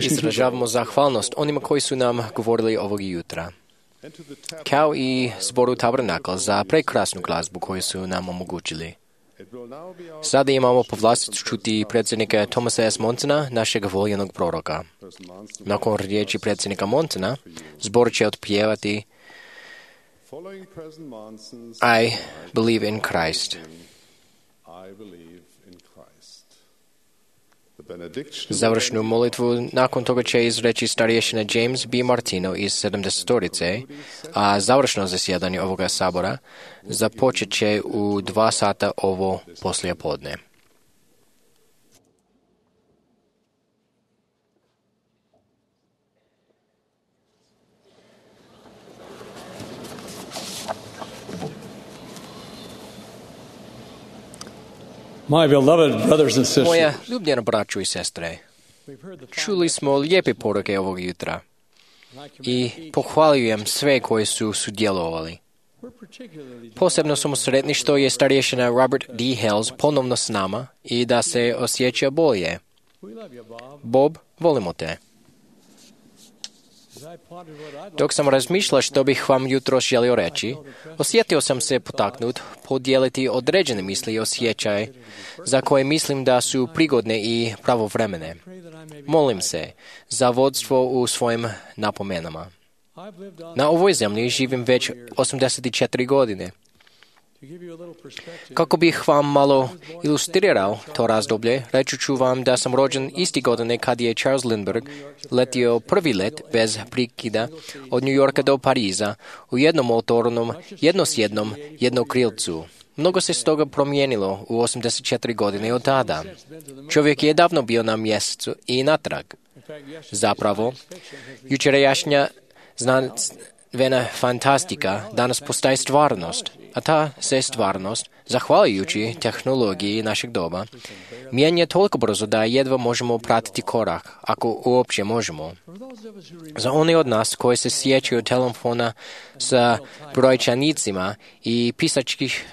Izražavamo zahvalnost onima koji su nam govorili ovog jutra, kao i zboru Tabernakl za prekrasnu glazbu koju su nam omogućili. Sada imamo povlasticu čuti predsjednika Thomasa S. Monsona, našeg voljenog proroka. Nakon riječi predsjednika Monsona, zbor će otpjevati I believe in Christ. Završnu molitvu nakon toga će izreći starješina James B. Martino iz 70-torice, a završno zasjedanje ovoga sabora započet će u 2 sata ovo poslijepodne. Moja ljubljena braćo i sestre, čuli smo lijepe poruke ovog jutra i pohvaljujem sve koji su sudjelovali. Posebno smo sretni što je starješina Robert D. Hales ponovno s nama i da se osjeća bolje. Bob, volimo te. Dok sam razmišljao što bih vam jutro želio reći, osjetio sam se potaknut podijeliti određene misli i osjećaje za koje mislim da su prigodne i pravovremene. Molim se za vodstvo u svojim napomenama. Na ovoj zemlji živim već 84 godine. Kako bih vam malo ilustrirao to razdoblje, reći ću vam da sam rođen isti godine kad je Charles Lindbergh letio prvi let bez prekida od New Yorka do Pariza u jednomotornom, jednosjednom, jednokrilcu. Mnogo se stoga promijenilo u 84 godine od tada. Čovjek je davno bio na mjesecu i natrag. Zapravo, jučerašnja znanstvena fantastika danas postaje stvarnost, a ta se stvarnost, zahvaljujući tehnologiji našeg doba, mijenja toliko brzo da jedva možemo pratiti korak, ako uopće možemo. Za one od nas koji se sjećaju telefona sa brojčanicima i pisačkih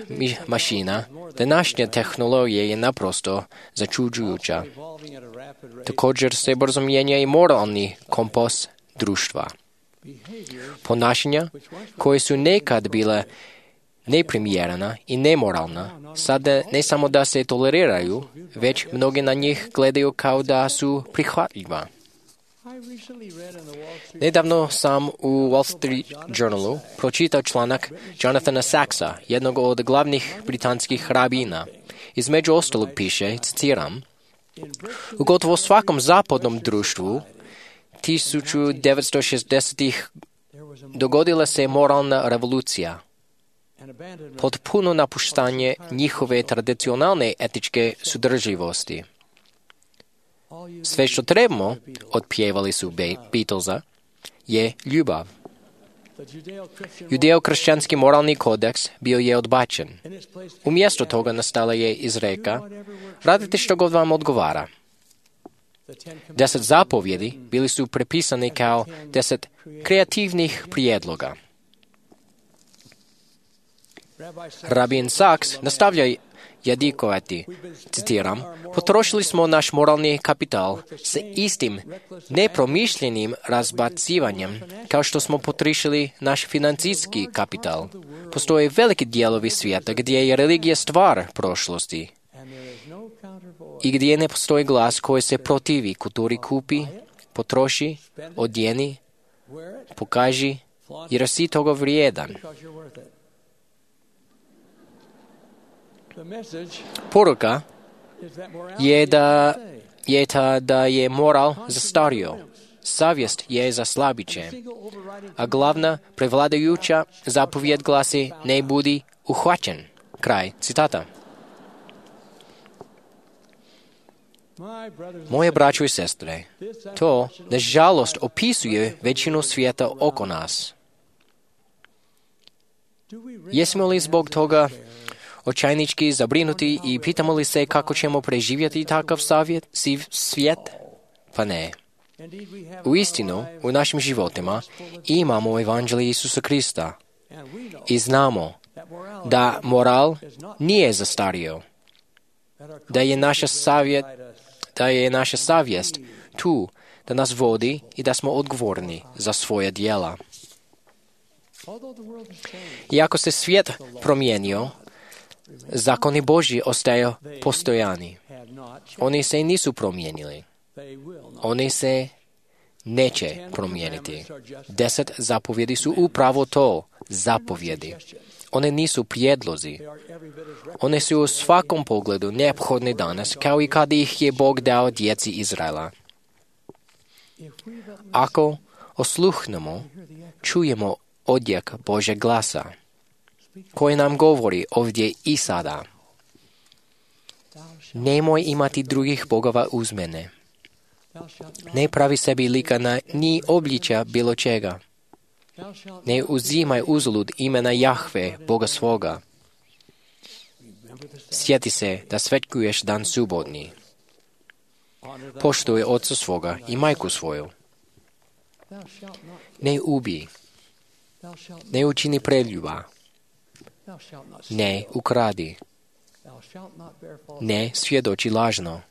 mašina, današnja tehnologija je naprosto začuđujuća. Također se brzo mijenja i moralni kompas društva. Ponašanja koje su nekad bile neprimjerena i nemoralna, sada ne samo da se toleriraju, već mnogi na njih gledaju kao da su prihvatljiva. Nedavno sam u Wall Street Journalu pročitao članak Jonathana Saxa, jednog od glavnih britanskih rabina. Između ostalog piše, citiram, u gotovo svakom zapadnom društvu 1960-ih dogodila se moralna revolucija, potpuno napuštanje njihove tradicionalne etičke sudrživosti. Sve što trebamo, otpjevali su Beatlesa, je ljubav. Judeo-kršćanski moralni kodeks bio je odbačen. Umjesto toga nastala je izreka, radite što god vam odgovara. 10 zapovjedi bili su prepisani kao 10 kreativnih prijedloga. Rabin Sachs nastavlja jadikovati, citiram, potrošili smo naš moralni kapital sa istim nepromišljenim razbacivanjem kao što smo potrošili naš financijski kapital. Postoje veliki dijelovi svijeta gdje je religija stvar prošlosti i gdje ne postoji glas koji se protivi kulturi kupi, potroši, odjeni, pokaži jer si toga vrijedan. Poruka je da je moral zastario, savjest je za slabiće, a glavna prevladajuća zapovjed glasi ne budi uhvaćen. Kraj citata. Moje braćo i sestre, to, nažalost, opisuje većinu svijeta oko nas. Jesmo li zbog toga očajnički zabrinuti i pitamo li se kako ćemo preživjeti takav svijet? Pa ne. Uistinu, u našim životima imamo evanđelje Isusa Krista i znamo da moral nije zastario, da je naša da je naša savjest tu da nas vodi i da smo odgovorni za svoja djela. Iako se svijet promijenio, zakoni Božji ostaju postojani. Oni se nisu promijenili. Oni se neće promijeniti. 10 zapovjedi su upravo to, zapovjedi. One nisu prijedlozi. One su u svakom pogledu neophodne danas, kao i kad ih je Bog dao djeci Izraela. Ako osluhnemo, čujemo odjek Božeg glasa, koji nam govori ovdje i sada. Nemoj imati drugih bogova uz mene. Ne pravi sebi lika ni obličja bilo čega. Ne uzimaj uzalud imena Jahve, Boga svoga. Sjeti se da svetkuješ dan subotni. Poštuj oca svoga i majku svoju. Ne ubij. Ne učini preljuba. Ne ukradi. Ne svjedoči lažno.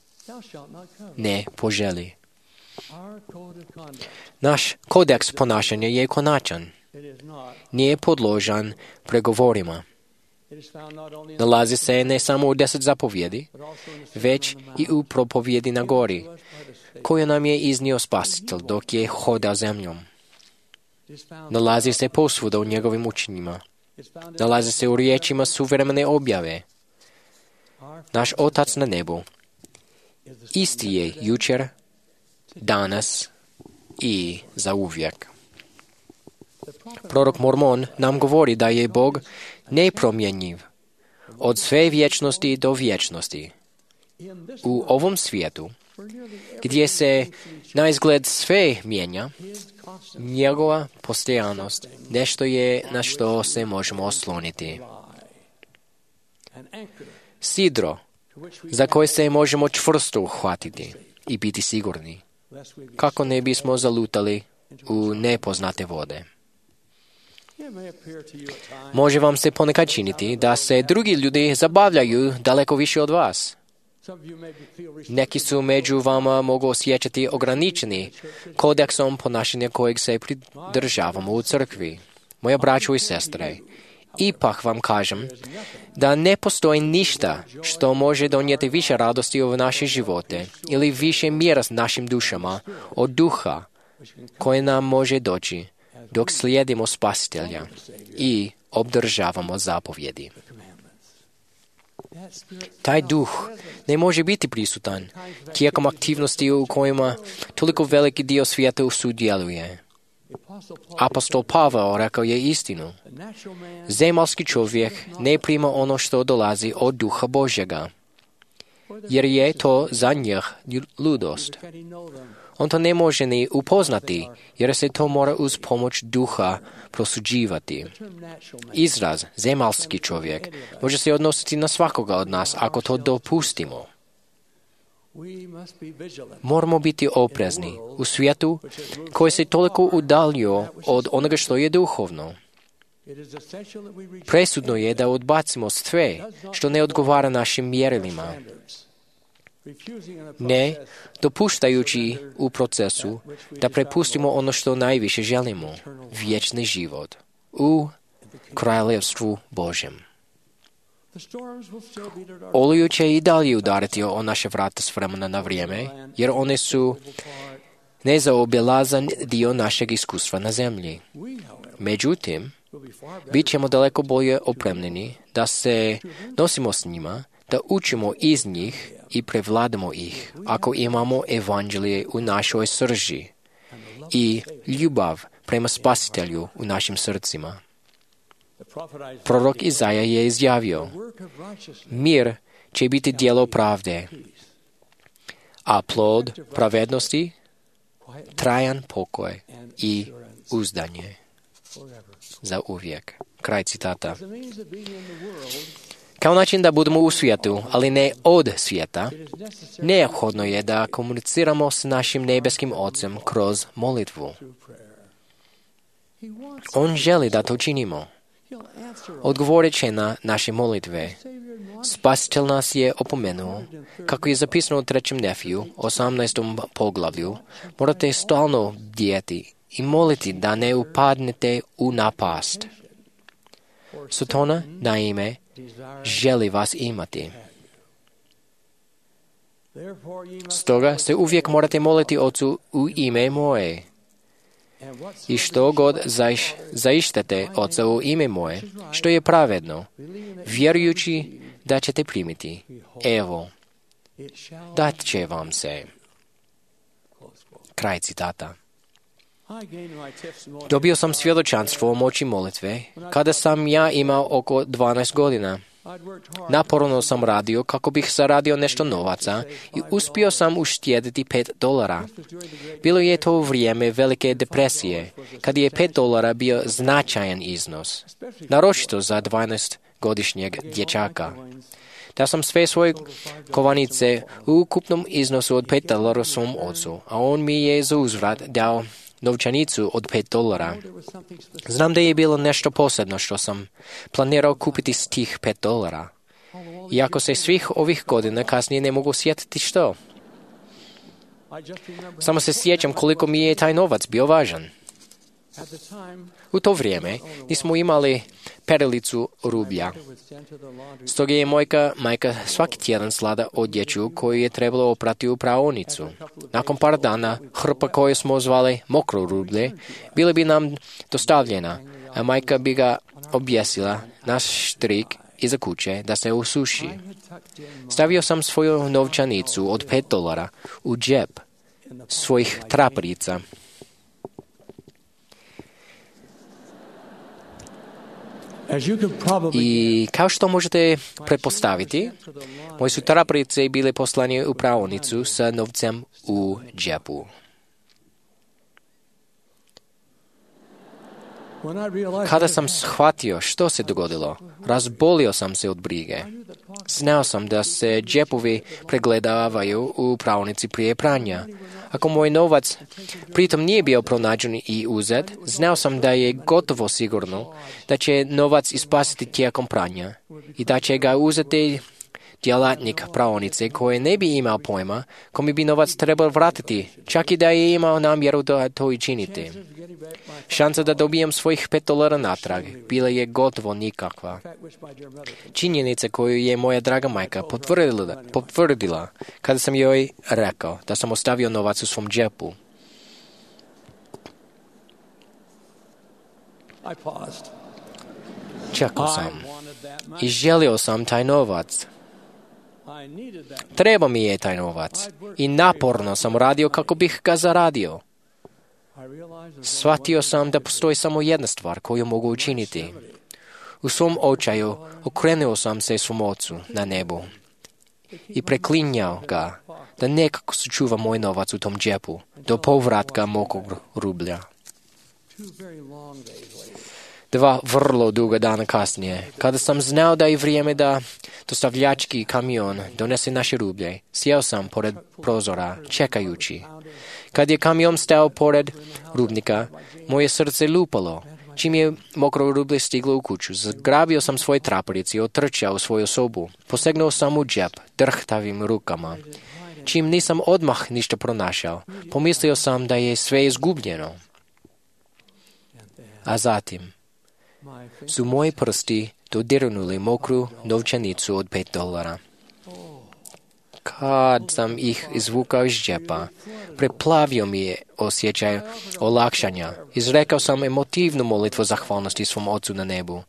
Ne poželi. Naš kodeks ponašanja je konačan. Nije podložan pregovorima. Nalazi se ne samo u 10 zapovjedi, već i u propovjedi na gori, koju nam je iznio Spasitelj dok je hodao zemljom. Nalazi se posvuda u njegovim učenjima. Nalazi se u riječima suvremene objave. Naš Otac na nebu isti je jučer, danas i zauvijek. Prorok Mormon nam govori da je Bog nepromjenjiv od sve vječnosti do vječnosti. U ovom svijetu, gdje se na izgled sve mijenja, njegova postojanost nešto je na što se možemo osloniti. Sidro za koje se možemo čvrsto uhvatiti i biti sigurni, kako ne bismo zalutali u nepoznate vode. Može vam se ponekad činiti da se drugi ljudi zabavljaju daleko više od vas. Neki su među vama mogu osjećati ograničeni kodeksom ponašanja kojeg se pridržavamo u crkvi. Moja braćo i sestre, ipak vam kažem da ne postoji ništa što može donijeti više radosti u naše živote ili više mira s našim dušama od duha koje nam može doći dok slijedimo Spasitelja i obdržavamo zapovjedi. Taj duh ne može biti prisutan tijekom aktivnosti u kojima toliko veliki dio svijeta sudjeluje. Apostol Pavao rekao je istinu. Zemaljski čovjek ne prima ono što dolazi od duha Božjega, jer je to za njih ludost. On to ne može ni upoznati, jer se to mora uz pomoć duha prosuđivati. Izraz zemaljski čovjek može se odnositi na svakoga od nas ako to dopustimo. Moramo biti oprezni u svijetu koji se toliko udaljio od onoga što je duhovno. Presudno je da odbacimo sve što ne odgovara našim mjerilima, ne dopuštajući u procesu da prepustimo ono što najviše želimo, vječni život u kraljevstvu Božjem. Oluju će i dalje udariti o naše vrata s vremena na vrijeme, jer one su nezaobilazan dio našeg iskustva na zemlji. Međutim, bit ćemo daleko bolje opremljeni da se nosimo s njima, da učimo iz njih i prevladamo ih, ako imamo evanđelje u našoj srži i ljubav prema Spasitelju u našim srcima. Prorok Izaja je izjavio: mir će biti djelo pravde, a plod pravednosti trajan pokoj i uzdanje za uvijek. Kraj citata. Kao način da budemo u svijetu, ali ne od svijeta, neophodno je da komuniciramo s našim nebeskim Ocem kroz molitvu. On želi da to činimo. Odgovorit će na naše molitve. Spasitelj nas je opomenuo, kako je zapisano u 3. Nefiju, 18. poglavlju, morate stalno bdjeti i moliti da ne upadnete u napast. Satana, naime, želi vas imati. Stoga se uvijek morate moliti Ocu u ime moje. I što god zaištate Oca u ime moje, što je pravedno, vjerujući da ćete primiti. Evo, dat će vam se. Kraj citata. Dobio sam svjedočanstvo o moći molitve kada sam ja imao oko 12 godina. Naporno sam radio kako bih zaradio nešto novaca i uspio sam uštediti $5. Bilo je to vrijeme velike depresije, kad je $5 bio značajan iznos, naročito za 12-godišnjeg dječaka. Dao sam sve svoje kovanice u ukupnom iznosu od $5 svom ocu, a on mi je za uzvrat dao novčanicu od $5. Znam da je bilo nešto posebno što sam planirao kupiti s tih $5. Iako se svih ovih godina kasnije ne mogu sjetiti što. Samo se sjećam koliko mi je taj novac bio važan. U to vrijeme nismo imali perilicu rublja. Stoga je majka svaki tjedan slala odjeću koju je trebalo oprati u praonicu. Nakon par dana hrpa koju smo zvali mokro rublje bila bi nam dostavljena, a majka bi ga objesila na štrik iza kuće da se usuši. Stavio sam svoju novčanicu od $5 u džep svojih traperica. I kao što možete pretpostaviti, moje su traperice bile poslane u praonicu sa novcem u džepu. Kada sam shvatio što se dogodilo, razbolio sam se od brige. Znao sam da se džepovi pregledavaju u praonici prije pranja. Ako moj novac pritom nije bio pronađen i uzet, znao sam da je gotovo sigurno da će novac ispasiti tijekom pranja i da će ga uzeti djelatnik praonice koji ne bi imao pojma kome bi novac trebao vratiti, čak i da je imao namjeru da to i činiti. Šansa da dobijem svojih $5 natrag bila je gotovo nikakva. Činjenica koju je moja draga majka potvrdila kada sam joj rekao da sam ostavio novac u svom džepu. Čekao sam i želio sam taj novac. Treba mi je taj novac i naporno sam radio kako bih ga zaradio. Shvatio sam da postoji samo jedna stvar koju mogu učiniti. U svom očaju okrenuo sam se svom ocu na nebu i preklinjao ga da nekako sačuva moj novac u tom džepu do povratka mokog rublja. 2 vrlo duga dana kasnije, kada sam znao da je vrijeme da dostavljački kamion donese naše rublje, sjeo sam pored prozora, čekajući. Kad je kamion stao pored rubnika, moje srce lupalo. Čim je mokro rublje stiglo u kuću, zagrabio sam svoje traperice i otrčao u svoju sobu. Posegnuo sam u džep, drhtavim rukama. Čim nisam odmah ništa pronašao, pomislio sam da je sve izgubljeno. A zatim su moji prsti dodirnuli mokru novčanicu od $5. Kad sam ih izvukao iz džepa, preplavio mi je osjećaj olakšanja. Izrekao sam emotivnu molitvu zahvalnosti svom Ocu na nebu,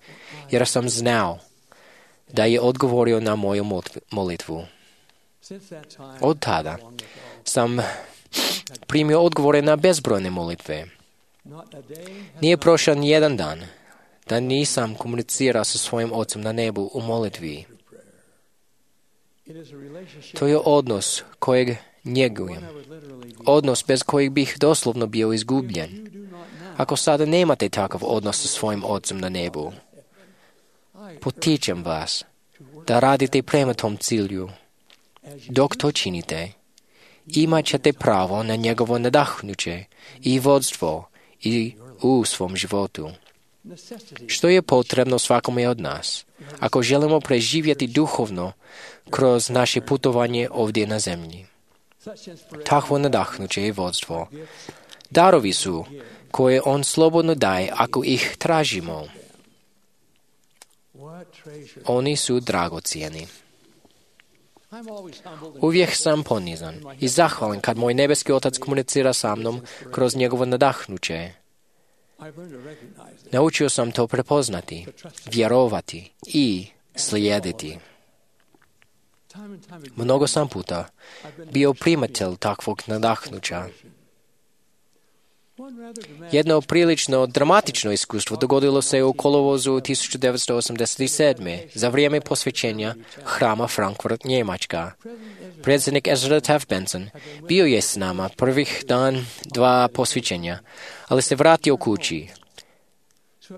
jer sam znao da je odgovorio na moju molitvu. Od tada sam primio odgovore na bezbrojne molitve. Nije prošao ni jedan dan da nisam komunicirao sa svojim Ocem na nebu u molitvi. To je odnos kojeg njegujem. Odnos bez kojeg bih doslovno bio izgubljen. Ako sada nemate takav odnos sa svojim Ocem na nebu, potičem vas da radite prema tom cilju. Dok to činite, imat ćete pravo na njegovo nadahnuće i vodstvo i u svom životu. Što je potrebno svakome od nas, ako želimo preživjeti duhovno kroz naše putovanje ovdje na zemlji? Takvo nadahnuće i vodstvo. Darovi su koje on slobodno daje ako ih tražimo. Oni su dragocjeni. Uvijek sam ponizan i zahvalan kad moj nebeski Otac komunicira sa mnom kroz njegovo nadahnuće. Naučio sam to prepoznati, vjerovati i slijediti. Mnogo sam puta bio primatelj takvog nadahnuća. Jedno prilično dramatično iskustvo dogodilo se u kolovozu 1987. za vrijeme posvećenja hrama Frankfurt, Njemačka. Predsjednik Ezra Taft Benson bio je s nama prvih dan 2 posvećenja, ali se vratio kući.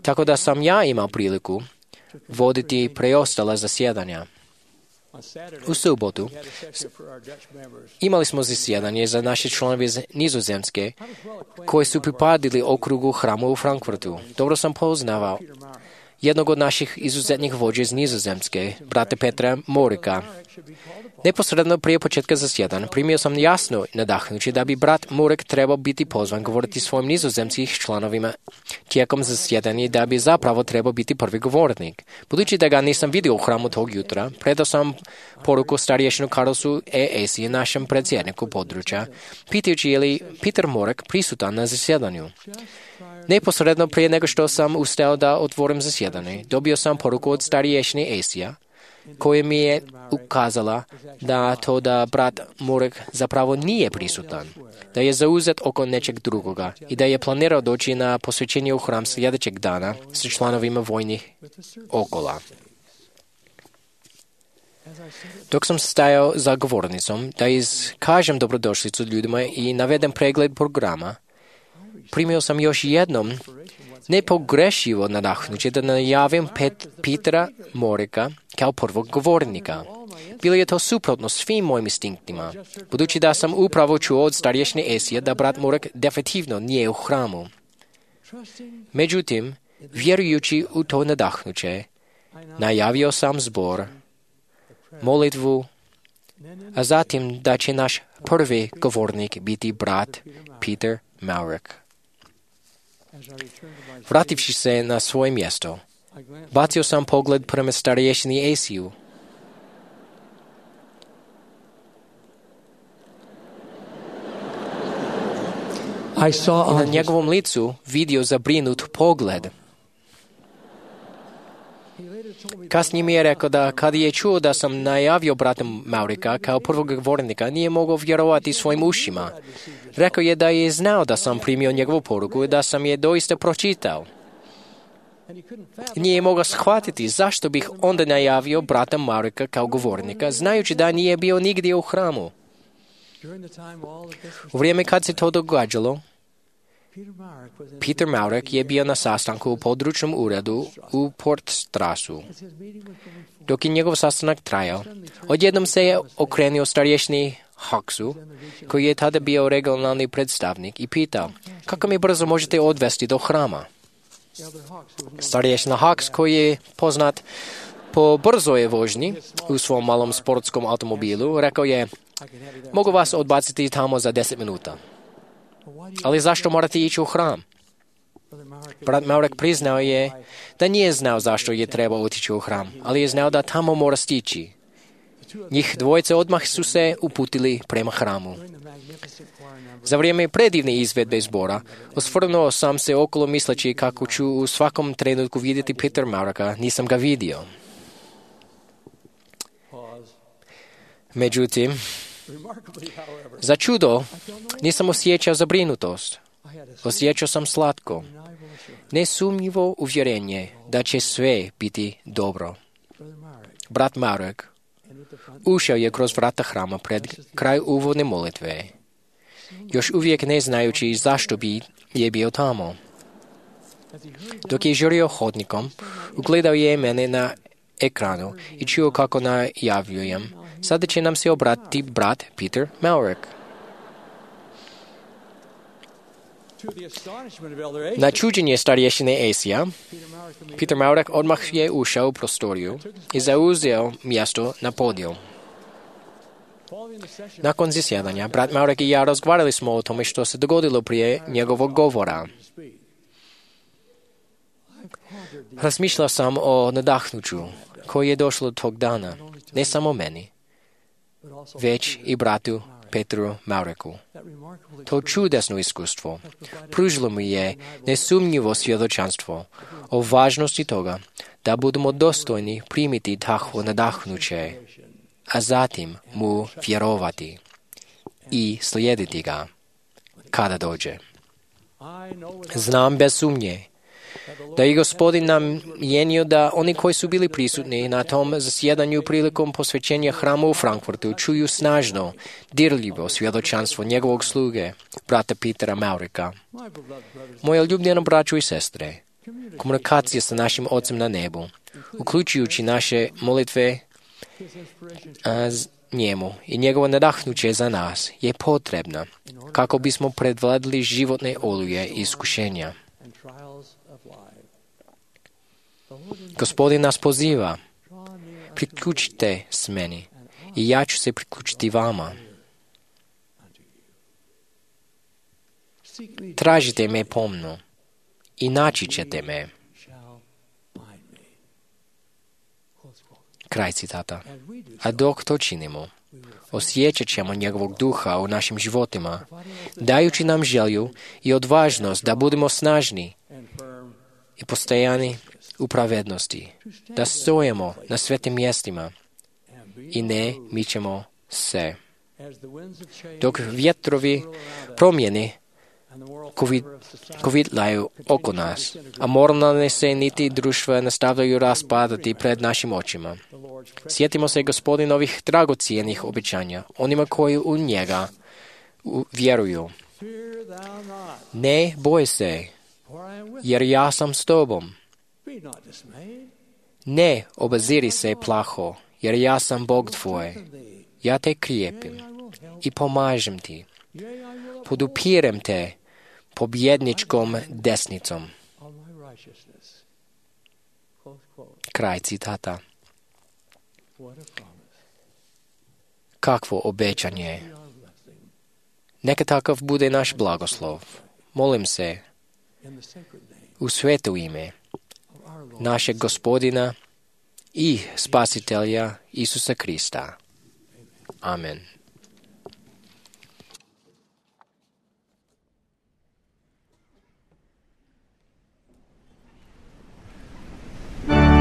Tako da sam ja imao priliku voditi preostala zasjedanja. U subotu imali smo zasjedanje za naše članove iz Nizozemske koji su pripadili okrugu hrama u Frankfurtu. Dobro sam poznavao jednog od naših izuzetnih vođa iz Nizozemske, brata Petra Morika. Neposredno prije početka zasjedanja primio sam jasno nadahnuće da bi brat Morik trebao biti pozvan govoriti svojim nizozemskih članovima tijekom zasjedanja, da bi zapravo trebao biti prvi govornik. Budući da ga nisam vidio u hramu tog jutra, predao sam poruku starješinu Karlsu E.S.i, našem predsjedniku područja, pitajući je li Peter Morik prisutan na zasjedanju. Neposredno prije nego što sam ustao da otvorim zasjedanje, dobio sam poruku od starješine Esija, koja mi je ukazala da brat Morik zapravo nije prisutan, da je zauzet oko nečeg drugoga i da je planirao doći na posvećenje u hram sljedećeg dana sa članovima vojnih okola. Dok sam stajao za govornicom da iskažem dobrodošlicu ljudima i navedem pregled programa, primio sam još jednom nepogrešivo nadahnuće da najavim Petera Morika kao prvog govornika. Bilo je to suprotno svim mojim instinktima, budući da sam upravo čuo od starješine Esija da brat Morik definitivno nije u hramu. Međutim, vjerujući u to nadahnuće, najavio sam zbor, molitvu, a zatim da će naš prvi govornik biti brat Peter Maurik. Vrativši se na svoje mjesto, bacio sam pogled prema starješini Esiju. I na njegovom licu vidio zabrinut pogled. Kasnije mi je rekao da kad je čuo da sam najavio brata Maurika kao prvog govornika, nije mogao vjerovati svojim ušima. Rekao je da je znao da sam primio njegovu poruku i da sam je doista pročitao. Nije mogao shvatiti zašto bih onda najavio brata Maurika kao govornika, znajući da nije bio nigdje u hramu. U vrijeme kad se to događalo, Peter Maurik je bio na sastanku u područnom uredu u Portstrasu. Dok je njegov sastanak trajao, odjednom se je okrenuo starješini Hawksu, koji je tada bio regionalni predstavnik, i pitao, kako mi brzo možete odvesti do hrama? Starješina Hawks, koji je poznat po brzoj vožnji u svom malom sportskom automobilu, rekao je, mogu vas odbaciti tamo za 10 minuta. Ali zašto morate ići u hram? Brat Maurik priznao je da nije znao zašto je trebao otići u hram, ali je znao da tamo mora stići. Njih dvojice odmah su se uputili prema hramu. Za vrijeme predivne izvedbe zbora, osvrnuo sam se okolo misleći kako ću u svakom trenutku vidjeti Peter Maurika, nisam ga vidio. Međutim, za čudo, nisam osjećao zabrinutost. Osjećao sam slatko, nesumnjivo uvjerenje da će sve biti dobro. Brat Maurik ušao je kroz vrata hrama pred kraj uvodne molitve, još uvijek ne znajući zašto bi je bio tamo. Dok je žurio hodnikom, ugledao je mene na ekranu i čuo kako najavljujem, sada će nam se obratiti brat Peter Maurik. Na čuđenje starješine Esija, Peter Maurek odmah je ušao u prostoriju i zauzeo mjesto na podiju. Nakon zasjedanja, brat Maurek i ja razgovarali smo o tome što se dogodilo prije njegovog govora. Razmišljao sam o nadahnuću koji je došlo tog dana, ne samo meni, već i bratu Petru Maureku. To čudesno iskustvo pružilo mi je nesumnjivo svjedočanstvo o važnosti toga da budemo dostojni primiti takvo nadahnuće, a zatim mu vjerovati i slijediti ga kada dođe. Znam bez sumnje da je Gospodin namijenio da oni koji su bili prisutni na tom zasjedanju prilikom posvećenja hrama u Frankfurtu čuju snažno, dirljivo svjedočanstvo njegovog sluge, brata Petera Maureka. Moje ljubljeno braćo i sestre, komunikacija sa našim Ocem na nebu, uključujući naše molitve njemu i njegovo nadahnuće za nas, je potrebna kako bismo predvladali životne oluje i iskušenja. Gospodin nas poziva, priključite s meni i ja ću se priključiti vama. Tražite me pomno i naći ćete me. Kraj citata. A dok to činimo, osjećat ćemo njegovog duha u našim životima, dajući nam želju i odvažnost da budemo snažni i postojani u pravednosti, da stojimo na svetim mjestima i ne mičemo se. Dok vjetrovi promjene kovitlaju oko nas, a moralne se niti društva nastavljaju raspadati pred našim očima. Sjetimo se Gospodinovih dragocijenih obećanja, onima koji u njega vjeruju. Ne boj se, jer ja sam s tobom. Ne obaziri se plaho, jer ja sam Bog tvoj. Ja te krijepim i pomažem ti. Podupirem te pobjedničkom desnicom. Kraj citata. Kakvo obećanje. Neka takav bude naš blagoslov. Molim se u sveto ime našeg Gospodina i Spasitelja Isusa Krista. Amen. I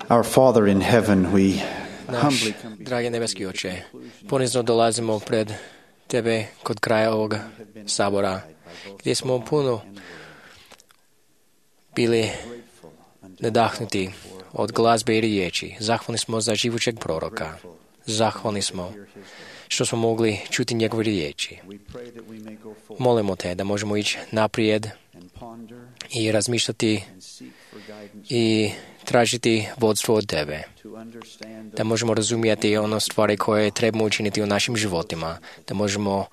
Our Father in heaven, we Naš, dragi nebeski Oče, ponizno dolazimo pred Tebe kod kraja ovog sabora, gdje smo puno bili nadahnuti od glazbe i riječi. Zahvalni smo za živućeg proroka. Zahvalni smo što smo mogli čuti njegove riječi. Molimo Te da možemo ići naprijed i razmišljati i tražiti vodstvo od Tebe. Da možemo razumjeti ono stvari koje trebamo učiniti u našim životima. Da možemo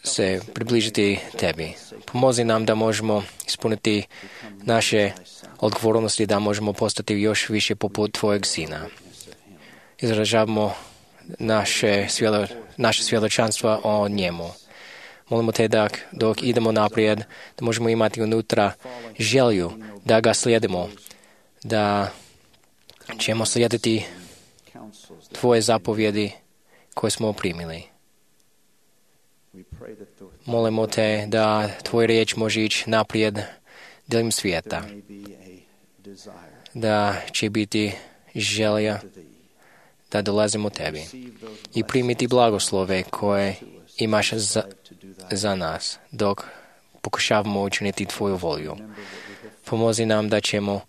se približiti Tebi. Pomozi nam da možemo ispuniti naše odgovornosti, da možemo postati još više poput Tvojeg Sina. Izražavamo naše svjedočanstva o njemu. Molimo Te da dok idemo naprijed, da možemo imati unutra želju da ga slijedimo, da ćemo slijediti Tvoje zapovjedi koje smo primili. Molimo Te da Tvoj riječ može ići naprijed diljem svijeta, da će biti želja da dolazimo Tebi i primiti blagoslove koje imaš za nas dok pokušavamo učiniti Tvoju volju. Pomozi nam da ćemo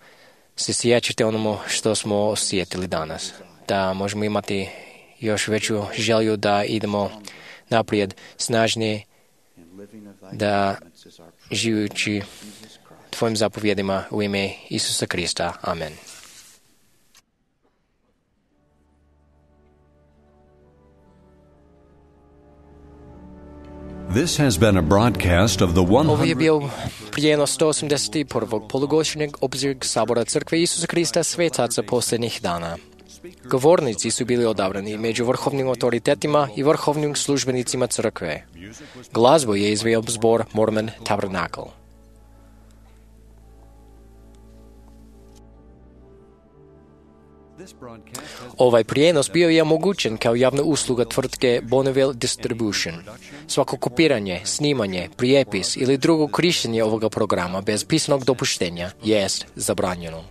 se sjećati onomu što smo osjetili danas, da možemo imati još veću želju da idemo naprijed snažnije, da živući Tvojim zapovjedima u ime Isusa Krista. Amen. This has been a broadcast of the Ovo je bio prijenos 181. polugodišnjeg obzirnog sabora Crkve Isusa Krista svetaca posljednjih dana. Govornici su bili odabrani među vrhovnim autoritetima i vrhovnim službenicima Crkve. Glazbu je izveo zbor Mormon Tabernacle. Ovaj prijenos bio je omogućen kao javna usluga tvrtke Bonneville Distribution. Svako kopiranje, snimanje, prijepis ili drugo korištenje ovoga programa bez pisanog dopuštenja jest zabranjeno.